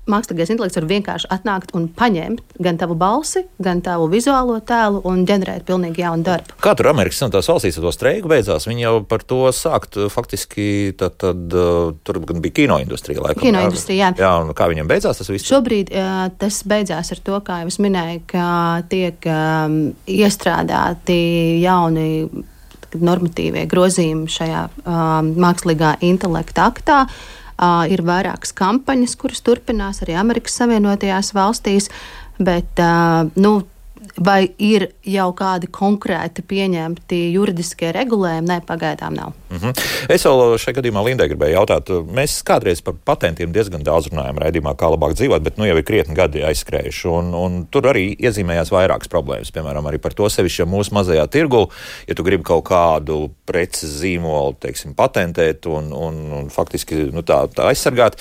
Speaker 2: mākslīgais intelekts var vienkārši atnākt un paņemt gan tavu balsi, gan tavu vizuālo tēlu un ģenerēt pilnīgi jaunu darbu.
Speaker 1: Kā tur Amerikas Savienotās valstīs ar to streiku beidzās? Viņi jau par to sākt faktiski, tad, tad tur gan bija kinoindustrija laikam.
Speaker 2: Kinoindustrija, jā.
Speaker 1: Jā, un kā viņam beidzās tas viss?
Speaker 2: Šobrīd uh, tas beidzās ar to, kā jau es minēju, ka tiek um, iestrādāti jauni normatīvie grozījumi šajā um, mākslīgā intelekta aktā. Uh, ir vairākas kampaņas, kuras turpinās arī Amerikas Savienotajās valstīs, bet uh, nu, vai ir jau kādi konkrēti pieņemti juridiskie regulējumi? Nē, pagaidām nav.
Speaker 1: Mm-hmm. Es vēl šajā gadījumā Lindai gribēju jautāt, mēs kādreiz par patentiem diezgan daudz runājam raidījumā, kā labāk dzīvot, bet nu jau ir krietni gadi aizskrējuši, un, un tur arī iezīmējās vairākas problēmas, piemēram, arī par to sevišķi mūsu mazajā tirgu, ja tu gribi kaut kādu preces zīmolu, teiksim, patentēt un, un, un faktiski nu, tā, tā aizsargāt,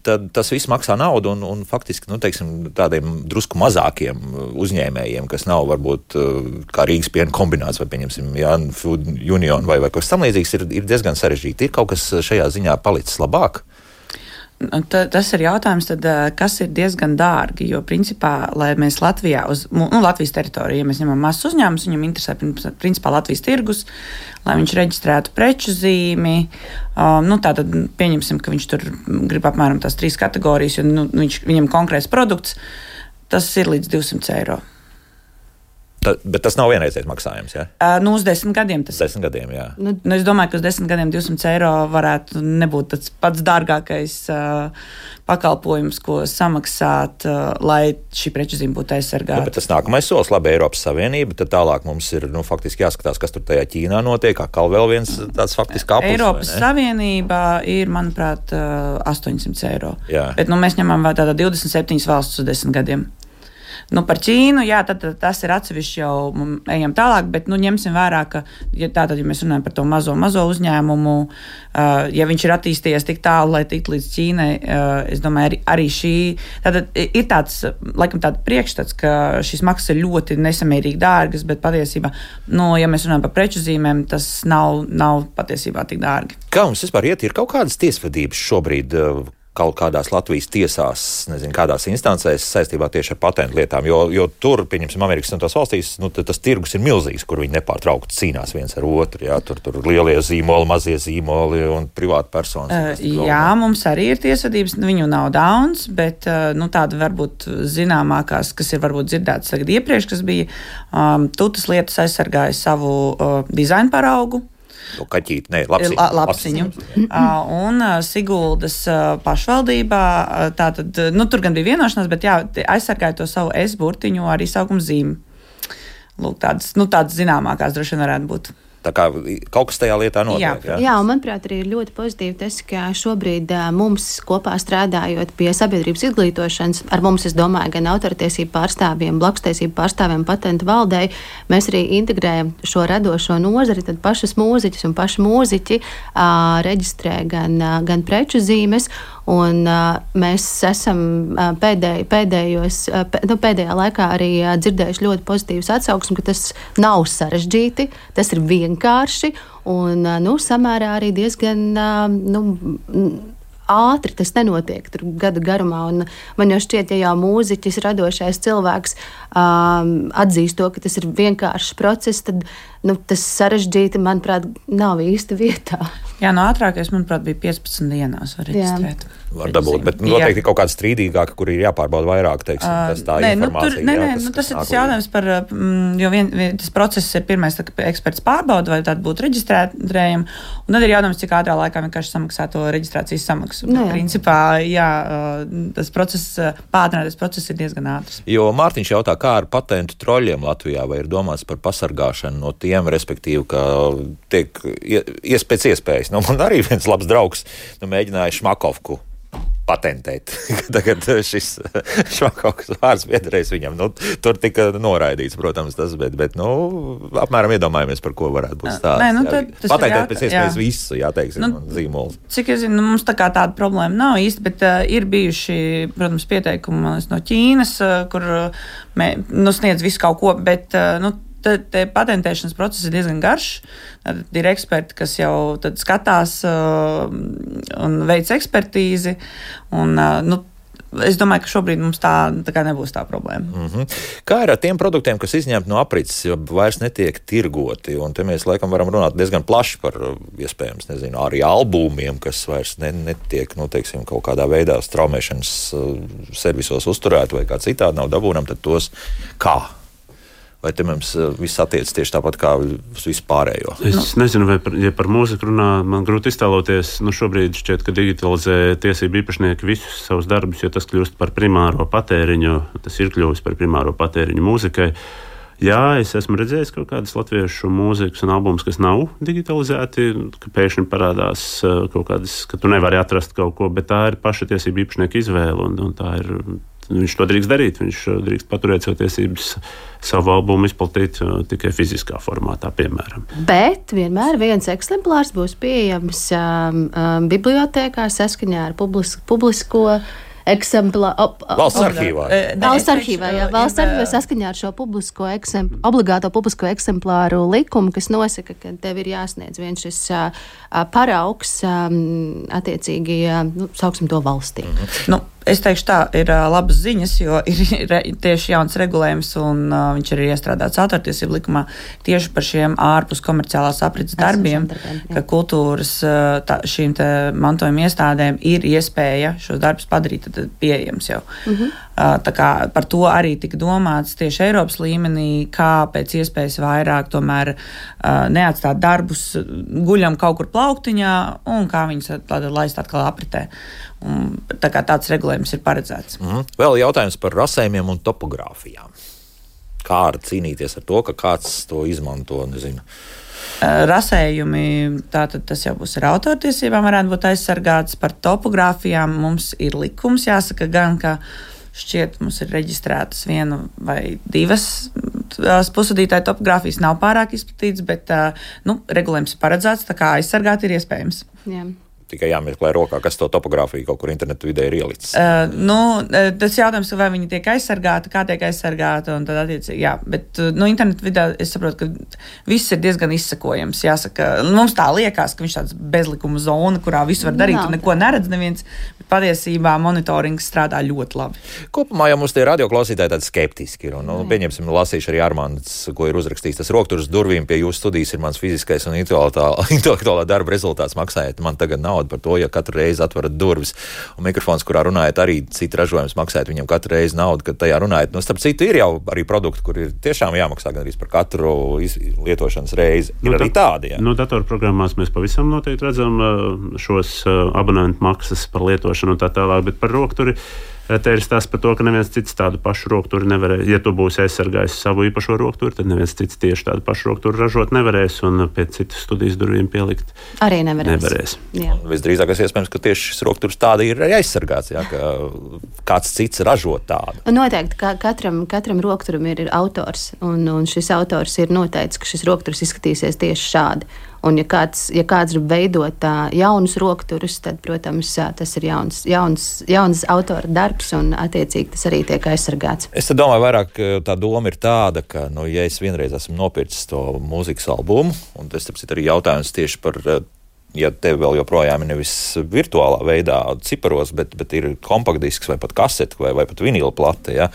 Speaker 1: tad tas viss maksā naudu, un, un faktiski, nu, teiksim, tādiem drusku mazākiem uzņēmējiem, kas nav varbūt kā Rīgas piena kombināts vai, pieņemsim, jā, Food Union vai, vai kas tam līdzīgs, ir, ir diezgan sarežģīti. Ir kaut kas šajā ziņā palicis labāk?
Speaker 4: Ta, tas ir jautājums, tad, kas ir diezgan dārgi, jo principā, lai mēs Latvijā, uz nu, Latvijas teritorijā, ja mēs ņemam mazs uzņēmums, viņam interesē principā Latvijas tirgus, lai viņš reģistrētu preču zīmi, um, nu tātad pieņemsim, ka viņš tur grib apmēram tās trīs kategorijas, jo nu, viņš, viņam konkrēts produkts, tas ir līdz divsimt eiro.
Speaker 1: Ta, bet tas nav vienreizējs maksājums, jā?
Speaker 4: Uh, nu, uz desmit gadiem tas.
Speaker 1: Desmit gadiem, jā.
Speaker 4: Nu, nu, es domāju, ka uz desmit gadiem divsimt eiro varētu nebūt tas pats dārgākais uh, pakalpojums, ko samaksāt, uh, lai šī preču zīme būtu aizsargāta.
Speaker 1: Nu, bet tas nākamais solis, labi, Eiropas Savienība, tad tālāk mums ir, nu, faktiski jāskatās, kas tur tajā Ķīnā notiek, atkal vēl viens tāds faktiski aplis.
Speaker 4: Eiropas Savienība ir, manuprāt, uh, astoņsimt eiro.
Speaker 1: Jā.
Speaker 4: Bet, nu, mēs ņemam vēl tātad divdesmit septiņas valstis uz desmit gadiem. Nu, par Ķīnu, jā, tad, tad tas ir atsevišķi jau ejam tālāk, bet nu, ņemsim vērā, ka ja tātad, ja mēs runājam par to mazo, mazo uzņēmumu, uh, ja viņš ir attīstījies tik tālu, lai tiktu līdz Ķīnai, uh, es domāju, arī, arī šī, tātad ir tāds, laikam tāda priekšstats, ka šīs maksas ir ļoti nesamērīgi dārgas, bet patiesībā, nu, ja mēs runājam par preču zīmēm, tas nav, nav patiesībā tik dārgi.
Speaker 1: Kā mums vispār iet, ir kaut kādas tiesvedības šobrīd uh, kaut kādās Latvijas tiesās, nezinu, kādās instancēs saistībā tieši ar patentu lietām, jo, jo tur, pieņemsim, Amerikas Savienotās valstīs, nu, tas tirgus ir milzīgs, kur viņi nepārtraukti cīnās viens ar otru, jā, tur, tur lielie zīmoli, mazie zīmoli un privāti personas.
Speaker 4: Uh, jā, mums arī ir tiesvedības, viņu nav daudz, bet, uh, nu, tāda varbūt zināmākās, kas ir varbūt dzirdētas tagad iepriekš, kas bija, um, Tutas lietas aizsargāja savu uh, dizainu paraugu.
Speaker 1: No kaķīti, nē, lapsiņu.
Speaker 4: La, lapsiņu. uh, un uh, Siguldas uh, pašvaldībā, uh, tātad, nu, tur gan bija vienošanās, bet jā, aizsargāja to savu S burtiņu arī saukuma zīmi. Lūk, tādas, nu, tādas zināmākās droši vien varētu būt.
Speaker 1: Tā kā kaut kas tajā lietā notiek.
Speaker 2: Jā,
Speaker 1: jā?
Speaker 2: jā, un manuprāt, arī ir ļoti pozitīvi tas, ka šobrīd mums kopā strādājot pie sabiedrības izglītošanas, ar mums, es domāju, gan autortiesību pārstāvjiem, blakstiesību pārstāvjiem, patentu valdei, mēs arī integrējam šo radošo nozari, tad pašas mūziķis un paši mūziķi uh, reģistrē gan, uh, gan preču zīmes, un uh, mēs esam uh, pēdēj, pēdējos, uh, pē, nu, pēdējā laikā arī uh, dzirdējuši ļoti pozitīvas atsauksmes, ka tas nav sarežģīti, tas ir vienkārši un nu, samērā arī diezgan nu, ātri tas nenotiek tur gadu garumā. Un man jau šķiet, ja jau mūziķis, radošais cilvēks um, atzīst to, ka tas ir vienkāršs process, tad nu, tas sarežģīti, manuprāt, nav īsti vietā.
Speaker 4: Jā, no ātrākais, manuprāt, bija piecpadsmit dienās var reģistrēt.
Speaker 1: Var dabūt, bet noteikti kaut kāda strīdīgāka, kur ir jāpārbauda vairāk, teiksim, tas tā
Speaker 4: nē,
Speaker 1: informācija.
Speaker 4: Nu, tur, nē,
Speaker 1: jā,
Speaker 4: nē,
Speaker 1: kas,
Speaker 4: nu, tas
Speaker 1: kas
Speaker 4: ir tas
Speaker 1: nāk
Speaker 4: jautājums par, jo vien, vien, tas process ir pirmais, tā, ka eksperts pārbauda, vai tāda būtu reģistrējama, un tad ir jautājums, cik ātrā laikā vienkārši samaksā to reģistrācijas samaksu.
Speaker 2: Nu, jā.
Speaker 4: Principā, jā, tas process, pātrinātais process ir diezgan ātrs.
Speaker 1: Jo Mārtiņš jautā, kā ar patentu troļļiem Latvijā, vai ir domāts par pasargāšanu no tiem, respektīvi, ka tiek ies pēc iespējas. Nu, man arī viens labs draugs nu, mēģināja Šmakovku patentēt. Tagad šis Švakoks vārds piederēs viņam. Nu, tur tika noraidīts, protams, tas, bet, bet nu, apmēram iedomājamies, par ko varētu būt stāsts.
Speaker 4: Nē, nu, tad,
Speaker 1: patentēt pēc iespējas visu, jā, teiksim, nu, zīmolu.
Speaker 4: Cik es zinu, mums tā kā tāda problēma nav īsti, bet uh, ir bijuši, protams, pieteikumi no Ķīnas, uh, kur uh, mē, nu, sniedz visu kaut ko, bet, uh, nu, Tad patentēšanas process ir diezgan garš. Tad ir eksperti, kas jau skatās uh, un veic ekspertīzi. Un, uh, nu, es domāju, ka šobrīd mums tā, tā kā nebūs tā problēma.
Speaker 1: Mm-hmm. Kā ir ar tiem produktiem, kas izņemti no aprits, jo vairs netiek tirgoti? Un te mēs laikam varam runāt diezgan plaši par, iespējams, nezinu, arī albumiem, kas vairs ne, netiek, nu, teiksim, kaut kādā veidā straumēšanas uh, servisos uzturēti vai kā citādi nav dabūnam, tad tos kā? Vai te mums viss attiec tieši tāpat kā uz vispārējo?
Speaker 3: Es nezinu, vai par, ja par mūziku runā, man grūti iztēloties. Nu, šobrīd šķiet, ka digitalizē tiesību īpašnieki visus savus darbus, jo tas kļūst par primāro patēriņu. Tas ir kļuvis par primāro patēriņu mūzikai. Jā, es esmu redzējis kaut kādas latviešu mūzikas un albumus, kas nav digitalizēti, ka pēkšņi parādās kaut kādas, ka tu nevari atrast kaut ko, bet tā ir paša tiesību īpašnieka izvēle, un, un tā ir... Viņš to drīkst darīt, viņš drīkst paturēt savu tiesības, savu albumu izplatīt uh, tikai fiziskā formātā, piemēram.
Speaker 2: Bet vienmēr viens eksemplārs būs pieejams um, um, bibliotēkā saskaņā ar publis, publisko eksemplāru.
Speaker 1: Valsts arhīvā.
Speaker 2: Valsts arhīvā, jā. Valsts arhīvā saskaņā ar šo publisko eksempl, obligāto publisko eksemplāru likumu, kas nosaka, ka tev ir jāsniedz viens šis uh, paraugs um, attiecīgi, uh, nu, sauksim to valstī.
Speaker 1: Mhm.
Speaker 4: Nu, es teikšu tā, ir uh, labas ziņas, jo ir re, tieši jauns regulējums un uh, viņš ir iestrādāts autortiesību likumā tieši par šiem ārpus komerciālās aprits darbiem, darbiem ka kultūras uh, tā, šīm te mantojuma iestādēm ir iespēja šos darbus padarīt tad pieejams jau. Mhm. Uh, tā kā par to arī tika domāts tieši Eiropas līmenī, kā pēc iespējas vairāk tomēr uh, neatstāt darbus guļam kaut kur plauktiņā un kā viņus laist atkal apritē. Un, tā kā tāds regulējums ir paredzēts.
Speaker 1: Mm. Vēl jautājums par rasējumiem un topogrāfijām. Kā ar cīnīties ar to, ka kāds to izmanto, nezinu?
Speaker 4: Rasējumi, tātad tas jau būs ar autortiesībām, varētu būt aizsargāts. Par topogrāfijām mums ir likums, jāsaka gan, ka šķiet mums ir reģistrētas viena vai divas pusvadītāju topogrāfijas, nav pārāk izplatīts, bet nu, regulējums ir paredzēts, tā kā aizsargāt ir iespējams.
Speaker 2: Jā.
Speaker 1: Tikai jāmeklē rokā, kas to topogrāfiju kaut kur internetu vidē ir ielicis.
Speaker 4: Uh, nu, tas jautājums, vai viņi tiek aizsargāti, kā tiek aizsargāti, un tad attiecīgi, jā. Bet, nu, internetu vidē es saprotu, ka viss ir diezgan izsekojams. Jāsaka, mums tā liekas, ka viņš tāds bezlikuma zona, kurā visu var darīt, un neko neredz neviens, bet patiesībā monitorings strādā ļoti labi.
Speaker 1: Kopumā jau mums tie radioklausītāji tādi skeptiski ir, un, nu, pieņemsim, lasīšu arī Armands, ko ir uzrakstījis. Tas rokturis durvīm pie jūsu studijas ir mans fiziskais un intelektuālā darba rezultāts. Maksājiet man tagad naudu par to, ja katru reizi atverat durvis. Un mikrofons, kurā runājat, arī citi ražojums maksājat viņam katru reizi naudu, kad tajā runājat. Nu, starp citu, ir jau arī produkti, kur ir tiešām jāmaksā gan arī par katru lietošanas reizi. Ir nu, arī tādi, jā.
Speaker 3: Nu, datorprogrammās mēs pavisam noteikti redzam šos abonentu maksas par lietošanu un tā tālāk, bet par rokturi te ir stāsts par to, ka neviens cits tādu pašu rokturi nevarēs. Ja tu būsi aizsargājis savu īpašo rokturi, tad neviens cits tieši tādu pašu rokturi ražot nevarēs un pēc citas studijas durvīm pielikt
Speaker 2: arī nevarēs.
Speaker 3: nevarēs.
Speaker 1: Visdrīzākais iespējams, ka tieši šis rokturs tāda ir arī aizsargāts, jā, ka kāds cits ražo tādu.
Speaker 2: Noteikti, ka katram, katram rokturam ir, ir autors, un, un šis autors ir noteicis, ka šis rokturs izskatīsies tieši šādi. Un, ja kāds, ja kāds grib veidot uh, jaunus rokturus, tad, protams, uh, tas ir jauns, jauns, jauns autora darbs, un attiecīgi tas arī tiek aizsargāts.
Speaker 1: Es domāju, vairāk tā doma ir tāda, ka, nu, ja es vienreiz esmu nopircis to mūzikas albumu, un tas, tāpēc, arī jautājums tieši par, ja tev vēl joprojām ir nevis virtuālā veidā ciparos, bet, bet ir kompaktdisks vai pat kasete vai, vai pat vinila plate, ja,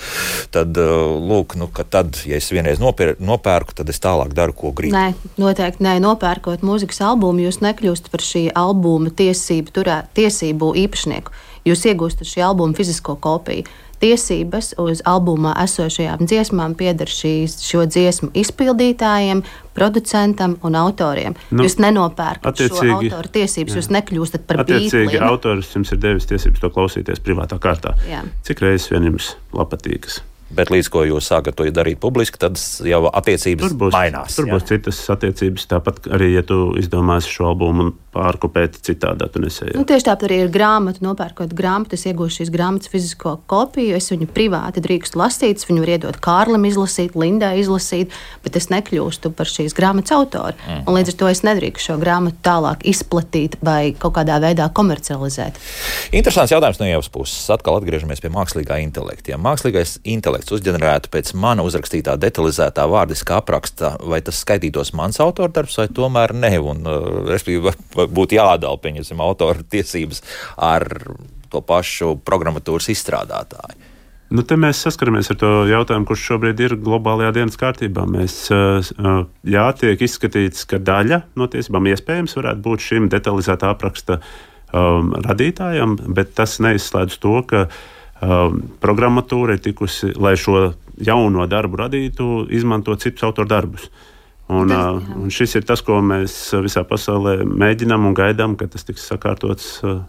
Speaker 1: tad, lūk, nu, ka tad, ja es vienreiz nopērku, nopērku, tad es tālāk daru, ko gribu.
Speaker 2: Nē, noteikti nē, nopērkot mūzikas albumu, jūs nekļūstat par šī albuma tiesību, turē, tiesību īpašnieku. Jūs iegūstat šī albuma fizisko kopiju. Tiesības uz albumā esošajām dziesmām pieder šīs, šo dziesmu izpildītājiem, producentam un autoriem. Nu, jūs nenopērkat šo autoru tiesības, jā. Jūs nekļūstat par bītlīnu.
Speaker 3: Attiecīgi autors jums ir devis tiesības to klausīties privātā kārtā.
Speaker 2: Jā.
Speaker 3: Cik reizes vien jums patīkas?
Speaker 1: Bet līdz ko jūs sākat to darīt publiski, tad jau attiecības
Speaker 3: tur būs,
Speaker 1: mainās.
Speaker 3: Tur jā. Būs citas attiecības, tāpat arī, ja tu izdomāsi šo albumu pārkopēt citādā, tu nesēji.
Speaker 2: Nu, tieši tāpat arī ir grāmata, nopērkot grāmatu, es iegūšu šīs grāmatas fizisko kopiju, es viņu privāti drīkstu lasīt, es viņu varu iedot Kārlim izlasīt, Lindai izlasīt, bet es nekļūstu par šīs grāmatas autoru. Mm. Un līdz ar to es nedrīkstu šo grāmatu tālāk izplatīt vai kaut kādā veidā komercializēt.
Speaker 1: Interesants jautājums no Ievas puses. Atkal atgriežamies pie mākslīgā intelekta. Ja mākslīgais intelekts uzģenerētu pēc mana uzrakstītā detalizētā vārdiskā apraksta, vai tas skaitītos mans autordarbs, vai tomēr ne? Un, respektīvi, būtu jāatdala, pieņemsim, autora tiesības ar to pašu programmatūras izstrādātāju.
Speaker 3: Nu, te mēs saskaramies ar to jautājumu, kurš šobrīd ir globālajā dienas kārtībā. Mēs, jā, tiek izskatīts, ka daļa no tiesībām iespējams varētu būt šim detalizētā apraksta um, radītājam, bet tas neizslēdz to, ka um, programmatūra ir tikusi, lai šo jauno darbu radītu, izmantot citus autoru darbus. Un, uh, un šis ir tas, ko mēs visā pasaulē mēģinām un gaidām, ka tas tiks sakārtots. Uh,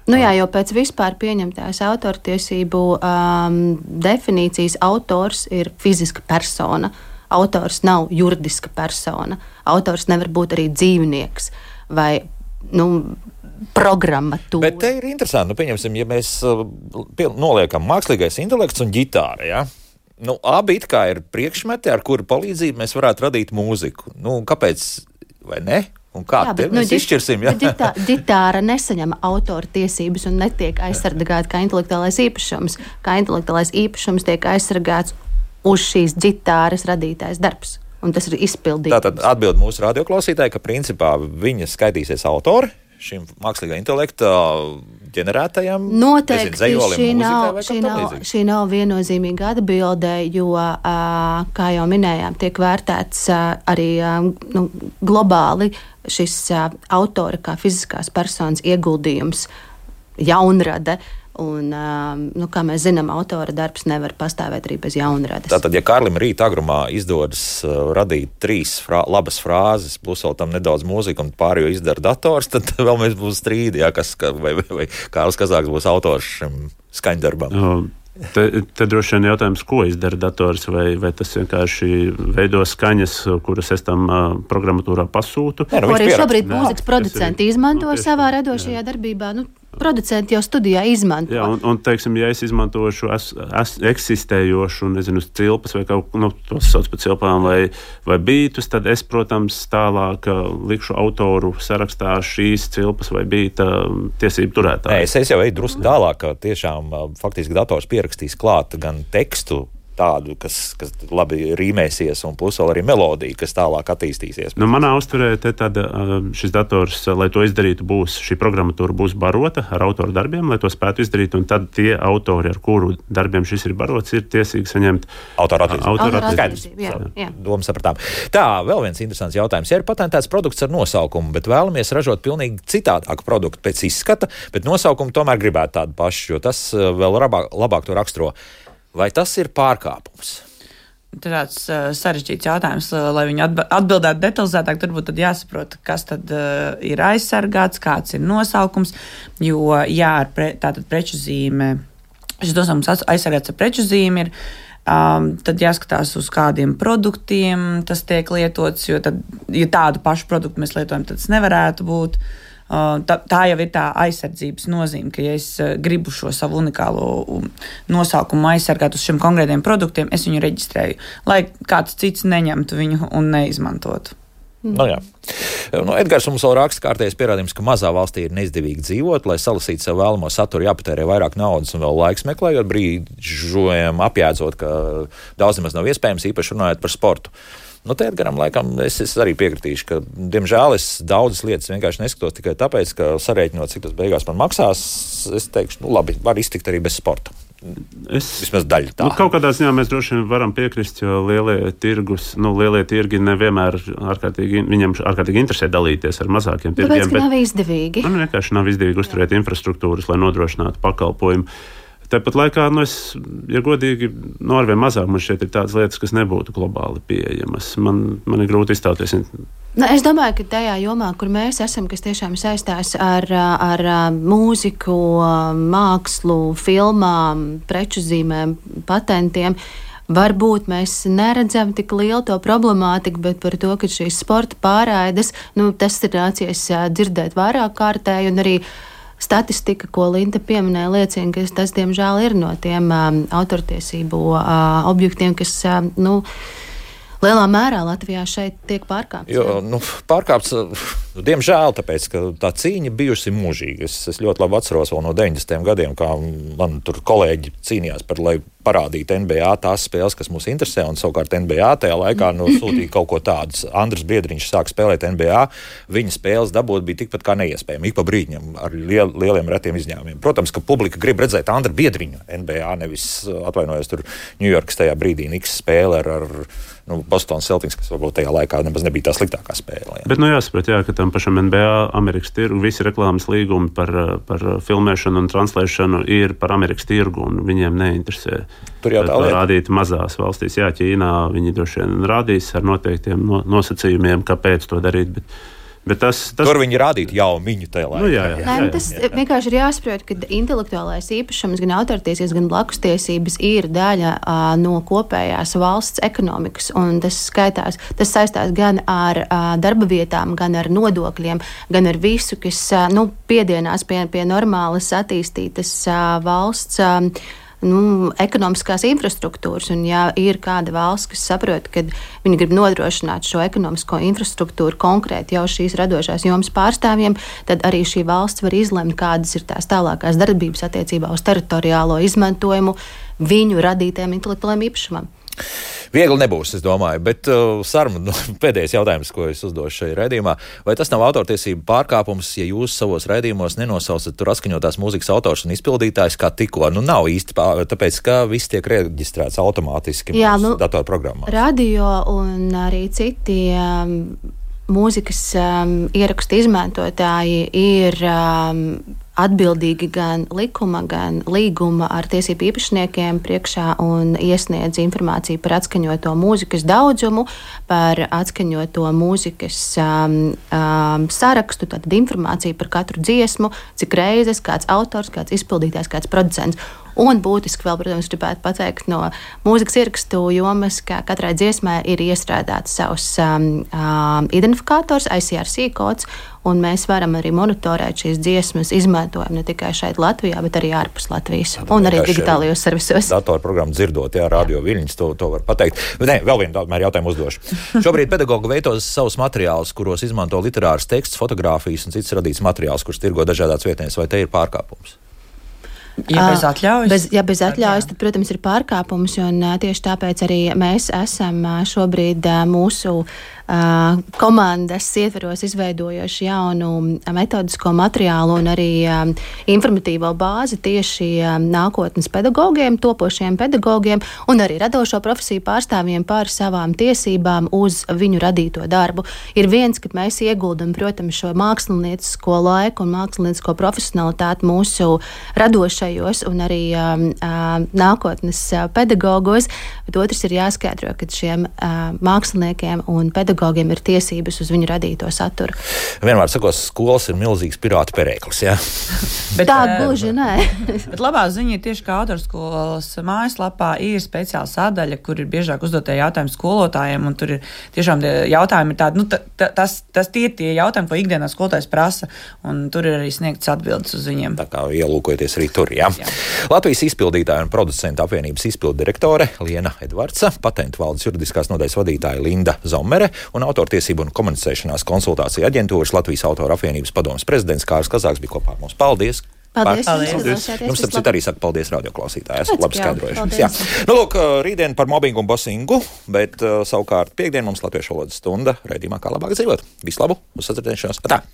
Speaker 2: Nu jā, jo pēc vispār pieņemtās autortiesību um, definīcijas autors ir fiziska persona. Autors nav juridiska persona. Autors nevar būt arī dzīvnieks vai nu, programmatūra.
Speaker 1: Bet te ir interesanti, nu, pieņemsim, ja mēs uh, pie, noliekam mākslīgais intelekts un ģitāra, ja? Nu, abi it kā ir priekšmeti, ar kuru palīdzību mēs varētu radīt mūziku. Nu, kāpēc, vai ne? Un kā jā, bet, mēs nu, izšķirsim? Ja?
Speaker 2: Ģitā, ģitāra nesaņem autora tiesības un netiek aizsargāta kā intelektuālais īpašums. Kā intelektuālais īpašums tiek aizsargāts uz šīs ģitāras radītais darbs. Un tas ir izpildījums.
Speaker 1: Tātad atbild mūsu radioklausītāji, ka principā viņa skaitīsies autori šim mākslīgā intelekta ģenerētajam.
Speaker 2: Noteikti
Speaker 1: nezinu,
Speaker 2: šī, nav, šī, nav, šī nav viennozīmīga atbilde, jo, kā jau minējām, tiek vērtēts arī nu, globāli šis autora kā fiziskās personas ieguldījums, jaunrade. Un, nu, kā mēs zinām, autora darbs nevar pastāvēt arī bez jaunrades.
Speaker 1: Tātad, ja Kārlim rīt agrumā izdodas uh, radīt trīs frā, labas frāzes, plus vēl tam nedaudz mūzika un pārējo izdara dators, tad vēl mēs būs strīdi, jā, kas, vai, vai, vai Kārlis Kazāks būs autors šim skaņdarbam.
Speaker 3: Um. Te, te droši vien jautājums, ko izdara dators, vai, vai tas vienkārši veido skaņas, kuras es tam uh, programmatūrā pasūtu.
Speaker 2: Jā, nu, arī šobrīd mūzikas producenti izmanto nu, savā radošajā jā. darbībā. Nu, producenti jau studijā izmanto.
Speaker 3: Jā, un, un teiksim, ja es izmantošu es, es, eksistējošu, nezinu, cilpas vai kaut ko, nu, tos sauc par cilpām vai, vai bītus, tad es, protams, tālāk likšu autoru sarakstā šīs cilpas vai bīta tiesību turētāju.
Speaker 1: Nē, es, es jau eju drusku tālāk, ka tiešām faktiski dators pierakstīs klāt gan tekstu, tādu, kas, kas labi rīmēsies, un plus vēl arī melodiju, kas tālāk attīstīsies.
Speaker 3: Nu, manā uztverē te tāda, šis dators, lai to izdarītu, būs, šī programmatūra būs barota ar autoru darbiem, lai to spētu izdarīt, un tad tie autori, ar kuru darbiem šis ir barots, ir tiesīgi saņemt
Speaker 1: autoru attīstību.
Speaker 2: attīstību. Jā, jā.
Speaker 1: Domu sapratām. Tā, vēl viens interesants jautājums. Ja ir patentēts produkts ar nosaukumu, bet vēlamies ražot pilnīgi citādāku produktu pēc izskata, bet nosaukumu tomēr gribētu tādu pašu, jo tas vēl labāk, labāk to raksturo. Vai tas ir pārkāpums?
Speaker 4: Tas ir tāds uh, sarežģīts jautājums, uh, lai viņi atbildētu detalizētāk. Turbūt tad jāsaprot, kas tad uh, ir aizsargāts, kāds ir nosaukums. Jo, jā, ar pre, tātad preču zīme, šis nosaukums aizsargāts ar preču zīmi ir, um, tad jāskatās uz kādiem produktiem tas tiek lietots, jo tad, ja tādu pašu produktu mēs lietojam, tad tas nevarētu būt. Tā, tā jau ir tā aizsardzības nozīme, ka, ja es gribu šo savu unikālo nosaukumu aizsargāt uz šiem konkrētiem produktiem, es viņu reģistrēju, lai kāds cits neņemtu viņu un neizmantotu.
Speaker 1: Nu, jā. Nu, Edgars mums vēl raksta kārtējais pierādījums, ka mazā valstī ir neizdevīgi dzīvot, lai salasītu sev vēlamo saturu, jāpatērē vairāk naudas un vēl laiks meklējot, brīžojam apjēdzot, ka daudz nemaz nav iespējams, īpaši runājot par sportu. Nu, te Edgaram laikam es, es arī piekritīšu, ka, diemžēl, es daudzas lietas vienkārši neskatos tikai tāpēc, ka sarēķinot, cik tas beigās man maksās, es teikšu, nu labi, var iztikt arī bez sporta. Es, Vismaz daļa tā.
Speaker 3: Nu, kaut kādā ziņā mēs droši vien varam piekrist, jo lielie tirgus, nu, lielie tirgi nevienmēr ārkārtīgi, viņam ārkārtīgi interesē dalīties ar mazākiem tirgiem.
Speaker 2: Tāpēc, ka nav izdevīgi.
Speaker 3: Man vienkārši nav izdevīgi uzturēt infrastruktūras, lai nodrošinātu pakalpojumu. Tāpat laikā, nu, es, ja godīgi, no arvien mazāk man šeit ir tādas lietas, kas nebūtu globāli pieejamas. Man, man ir grūti izstāties
Speaker 2: Nu, es domāju, ka tajā jomā, kur mēs esam, kas tiešām saistās ar, ar mūziku, mākslu, filmām, preču zīmēm, patentiem, varbūt mēs neredzam tik lielu to problemātiku, bet par to, ka šīs sporta pārraides, nu, tas ir nācies dzirdēt vairāk kārtēji, un arī statistika, ko Linda pieminēja, liecina, ka tas, diemžēl, ir no tiem um, autortiesību uh, objektiem, kas, uh, nu, lielā mērā Latvijā šeit tiek pārkāpts.
Speaker 1: Jo, nu, pārkāpts, diemžēl, tāpēc, ka tā cīņa bijusi mūžīga. Es, es ļoti labi atceros vēl no deviņdesmitajiem gadiem, kā man tur kolēģi cīnījās par, lai parādītu N B A tās spēles, kas mūs interesē, un savukārt N B A tajā laikā nu, sūtīja kaut ko tādu. Andris Biedriņš sāka spēlēt N B A, viņa spēles dabūt bija tikpat kā neiespējami, ik pa brīdņam, ar liel, lieliem retiem izņēmumiem. Protams, ka publika grib redzēt Andru Biedriņu N B A, nevis atvainojos tur Ņujorkas tajā brīdī Niks spēle ar, ar nu, Boston Celtics, kas varbūt tajā laikā nemaz nebija tā sliktākā spēle. Jā.
Speaker 3: Bet nu jāsaprot, jā, ka tam pašam N B A Amerikas tirgu visi reklāmas līgumi par, par filmēšanu un translēšanu ir par Amerikas tirgu, un viņiem neinteresē.
Speaker 1: Tur jau tā lieta.
Speaker 3: Rādīt mazās valstīs, jā, Ķīnā viņi droši vien rādīs ar noteiktiem no, nosacījumiem, kāpēc to darīt, bet, bet tas, tas...
Speaker 1: Tur viņi rādītu jau viņu tajā laikā.
Speaker 3: Nu, jā, jā, jā, jā,
Speaker 2: Nē, tas jā, jā. vienkārši ir jāsaprot, ka intelektuālais īpašums, gan autortiesības, gan blakustiesības ir daļa uh, no kopējās valsts ekonomikas, un tas skaitās, tas saistās gan ar uh, darba vietām, gan ar nodokļiem, gan ar visu, kas uh, nu, piedienās pie, pie normālas attīstītas uh, valsts uh, Nu, ekonomiskās infrastruktūras, un ja ir kāda valsts, kas saprot, ka viņi grib nodrošināt šo ekonomisko infrastruktūru konkrēti jau šīs radošās jomas pārstāvjiem, tad arī šī valsts var izlemt, kādas ir tās tālākās darbības attiecībā uz teritoriālo izmantojumu viņu radītajam intelektuālajiem īpašumam.
Speaker 1: Viegli nebūs, es domāju, bet uh, Sarma, nu, pēdējais jautājums, ko es uzdošu šajā raidījumā, vai tas nav autortiesību pārkāpums, ja jūs savos raidījumos nenosaucat tur atskaņotās mūzikas autors un izpildītājs kā tikko? Nu, nav īsti, pār, tāpēc, ka viss tiek reģistrēts automātiski Jā, nu, datorprogrammās.
Speaker 2: Radio un arī citi um, mūzikas um, ierakstu izmantotāji ir um, atbildīgi gan likuma, gan līguma ar tiesību īpašniekiem priekšā un iesniedz informāciju par atskaņoto mūzikas daudzumu, par atskaņoto mūzikas um, um, sarakstu, tātad informāciju par katru dziesmu, cik reizes, kāds autors, kāds izpildītājs, kāds producents. Un būtiski vēl, protams, gribētu pateikt no mūzikas ierakstu jomas, ka katrai dziesmai ir iestrādāts savs um, um, identifikators, I C R C kods, un mēs varam arī monitorēt šīs dziesmas izmantojumu ne tikai šeit Latvijā, bet arī ārpus Latvijas un arī digitālajos servisos.
Speaker 1: Datorprogrammu dzirdot, jā, radio viļņas, to, to var pateikt. Bet nē, vēl vienu tomēr jautājumu uzdošu. Šobrīd pedagogi veidos savus materiālus, kuros izmanto literārs teksts, fotogrāfijas un cits radīts materiāls, kurus tirgo dažādās vietnēs, vai te ir pārkāpums?
Speaker 4: Ja bez atļaujas,
Speaker 2: bez, ja bez atļaujas tad, protams, ir pārkāpums, un tieši tāpēc arī mēs esam šobrīd mūsu uh, komandas ietveros izveidojuši jaunu metodisko materiālu un arī um, informatīvo bāzi tieši um, nākotnes pedagogiem, topošiem pedagogiem un arī radošo profesiju pārstāvjiem par savām tiesībām uz viņu radīto darbu. Ir viens, ka mēs ieguldam, protams, šo māksliniecisko laiku un māksliniecisko profesionalitāti mūsu radošajos un arī um, uh, nākotnes uh, pedagogos, bet otrs ir jāskaidro, ka šiem uh, māksliniekiem un pedagogiem ir tiesības uz viņu radīto saturu.
Speaker 1: Vienmēr sakos, skolas ir milzīgs pirātu perēklis, jā?
Speaker 2: Bet, tā gluži nē.
Speaker 4: Bet labā ziņa ir tieši, ka autorskolas mājaslapā ir speciāla sadaļa, kur ir biežāk uzdotie jautājumi skolotājiem, un tur ir tiešām jautājumi ir tādi, nu, ta, ta, tas, tas tie ir tie jautājumi, ko ikdienā skolotājs prasa, un tur ir arī sniegts atbildes uz viņiem.
Speaker 1: Tā kā ielūkojoties arī tur, jā. jā. Latvijas izpildītāja un producentu apvienības izpildu direktore Liena Edvardsa, patentu valdes juridiskās nodaļas vadītāja Linda Zomere un autortiesību un komunicēšanās konsultāciju aģentūras Latvijas autora apvienības padomes prezidents Kārlis Kazāks bija kopā ar mums. Paldies!
Speaker 2: Paldies!
Speaker 1: Paldies.
Speaker 2: Paldies.
Speaker 1: Jums, starp citu, arī saka paldies radioklausītāji. Esat labi skaidrojuši. Jā. Nu, lūk, rītdien par mobbingu un bosingu, bet uh, savukārt piekdien mums latviešu valodas stunda raidījumā Kā labāk dzīvot. Visu labu, uz sadzirdēšanos. Atā!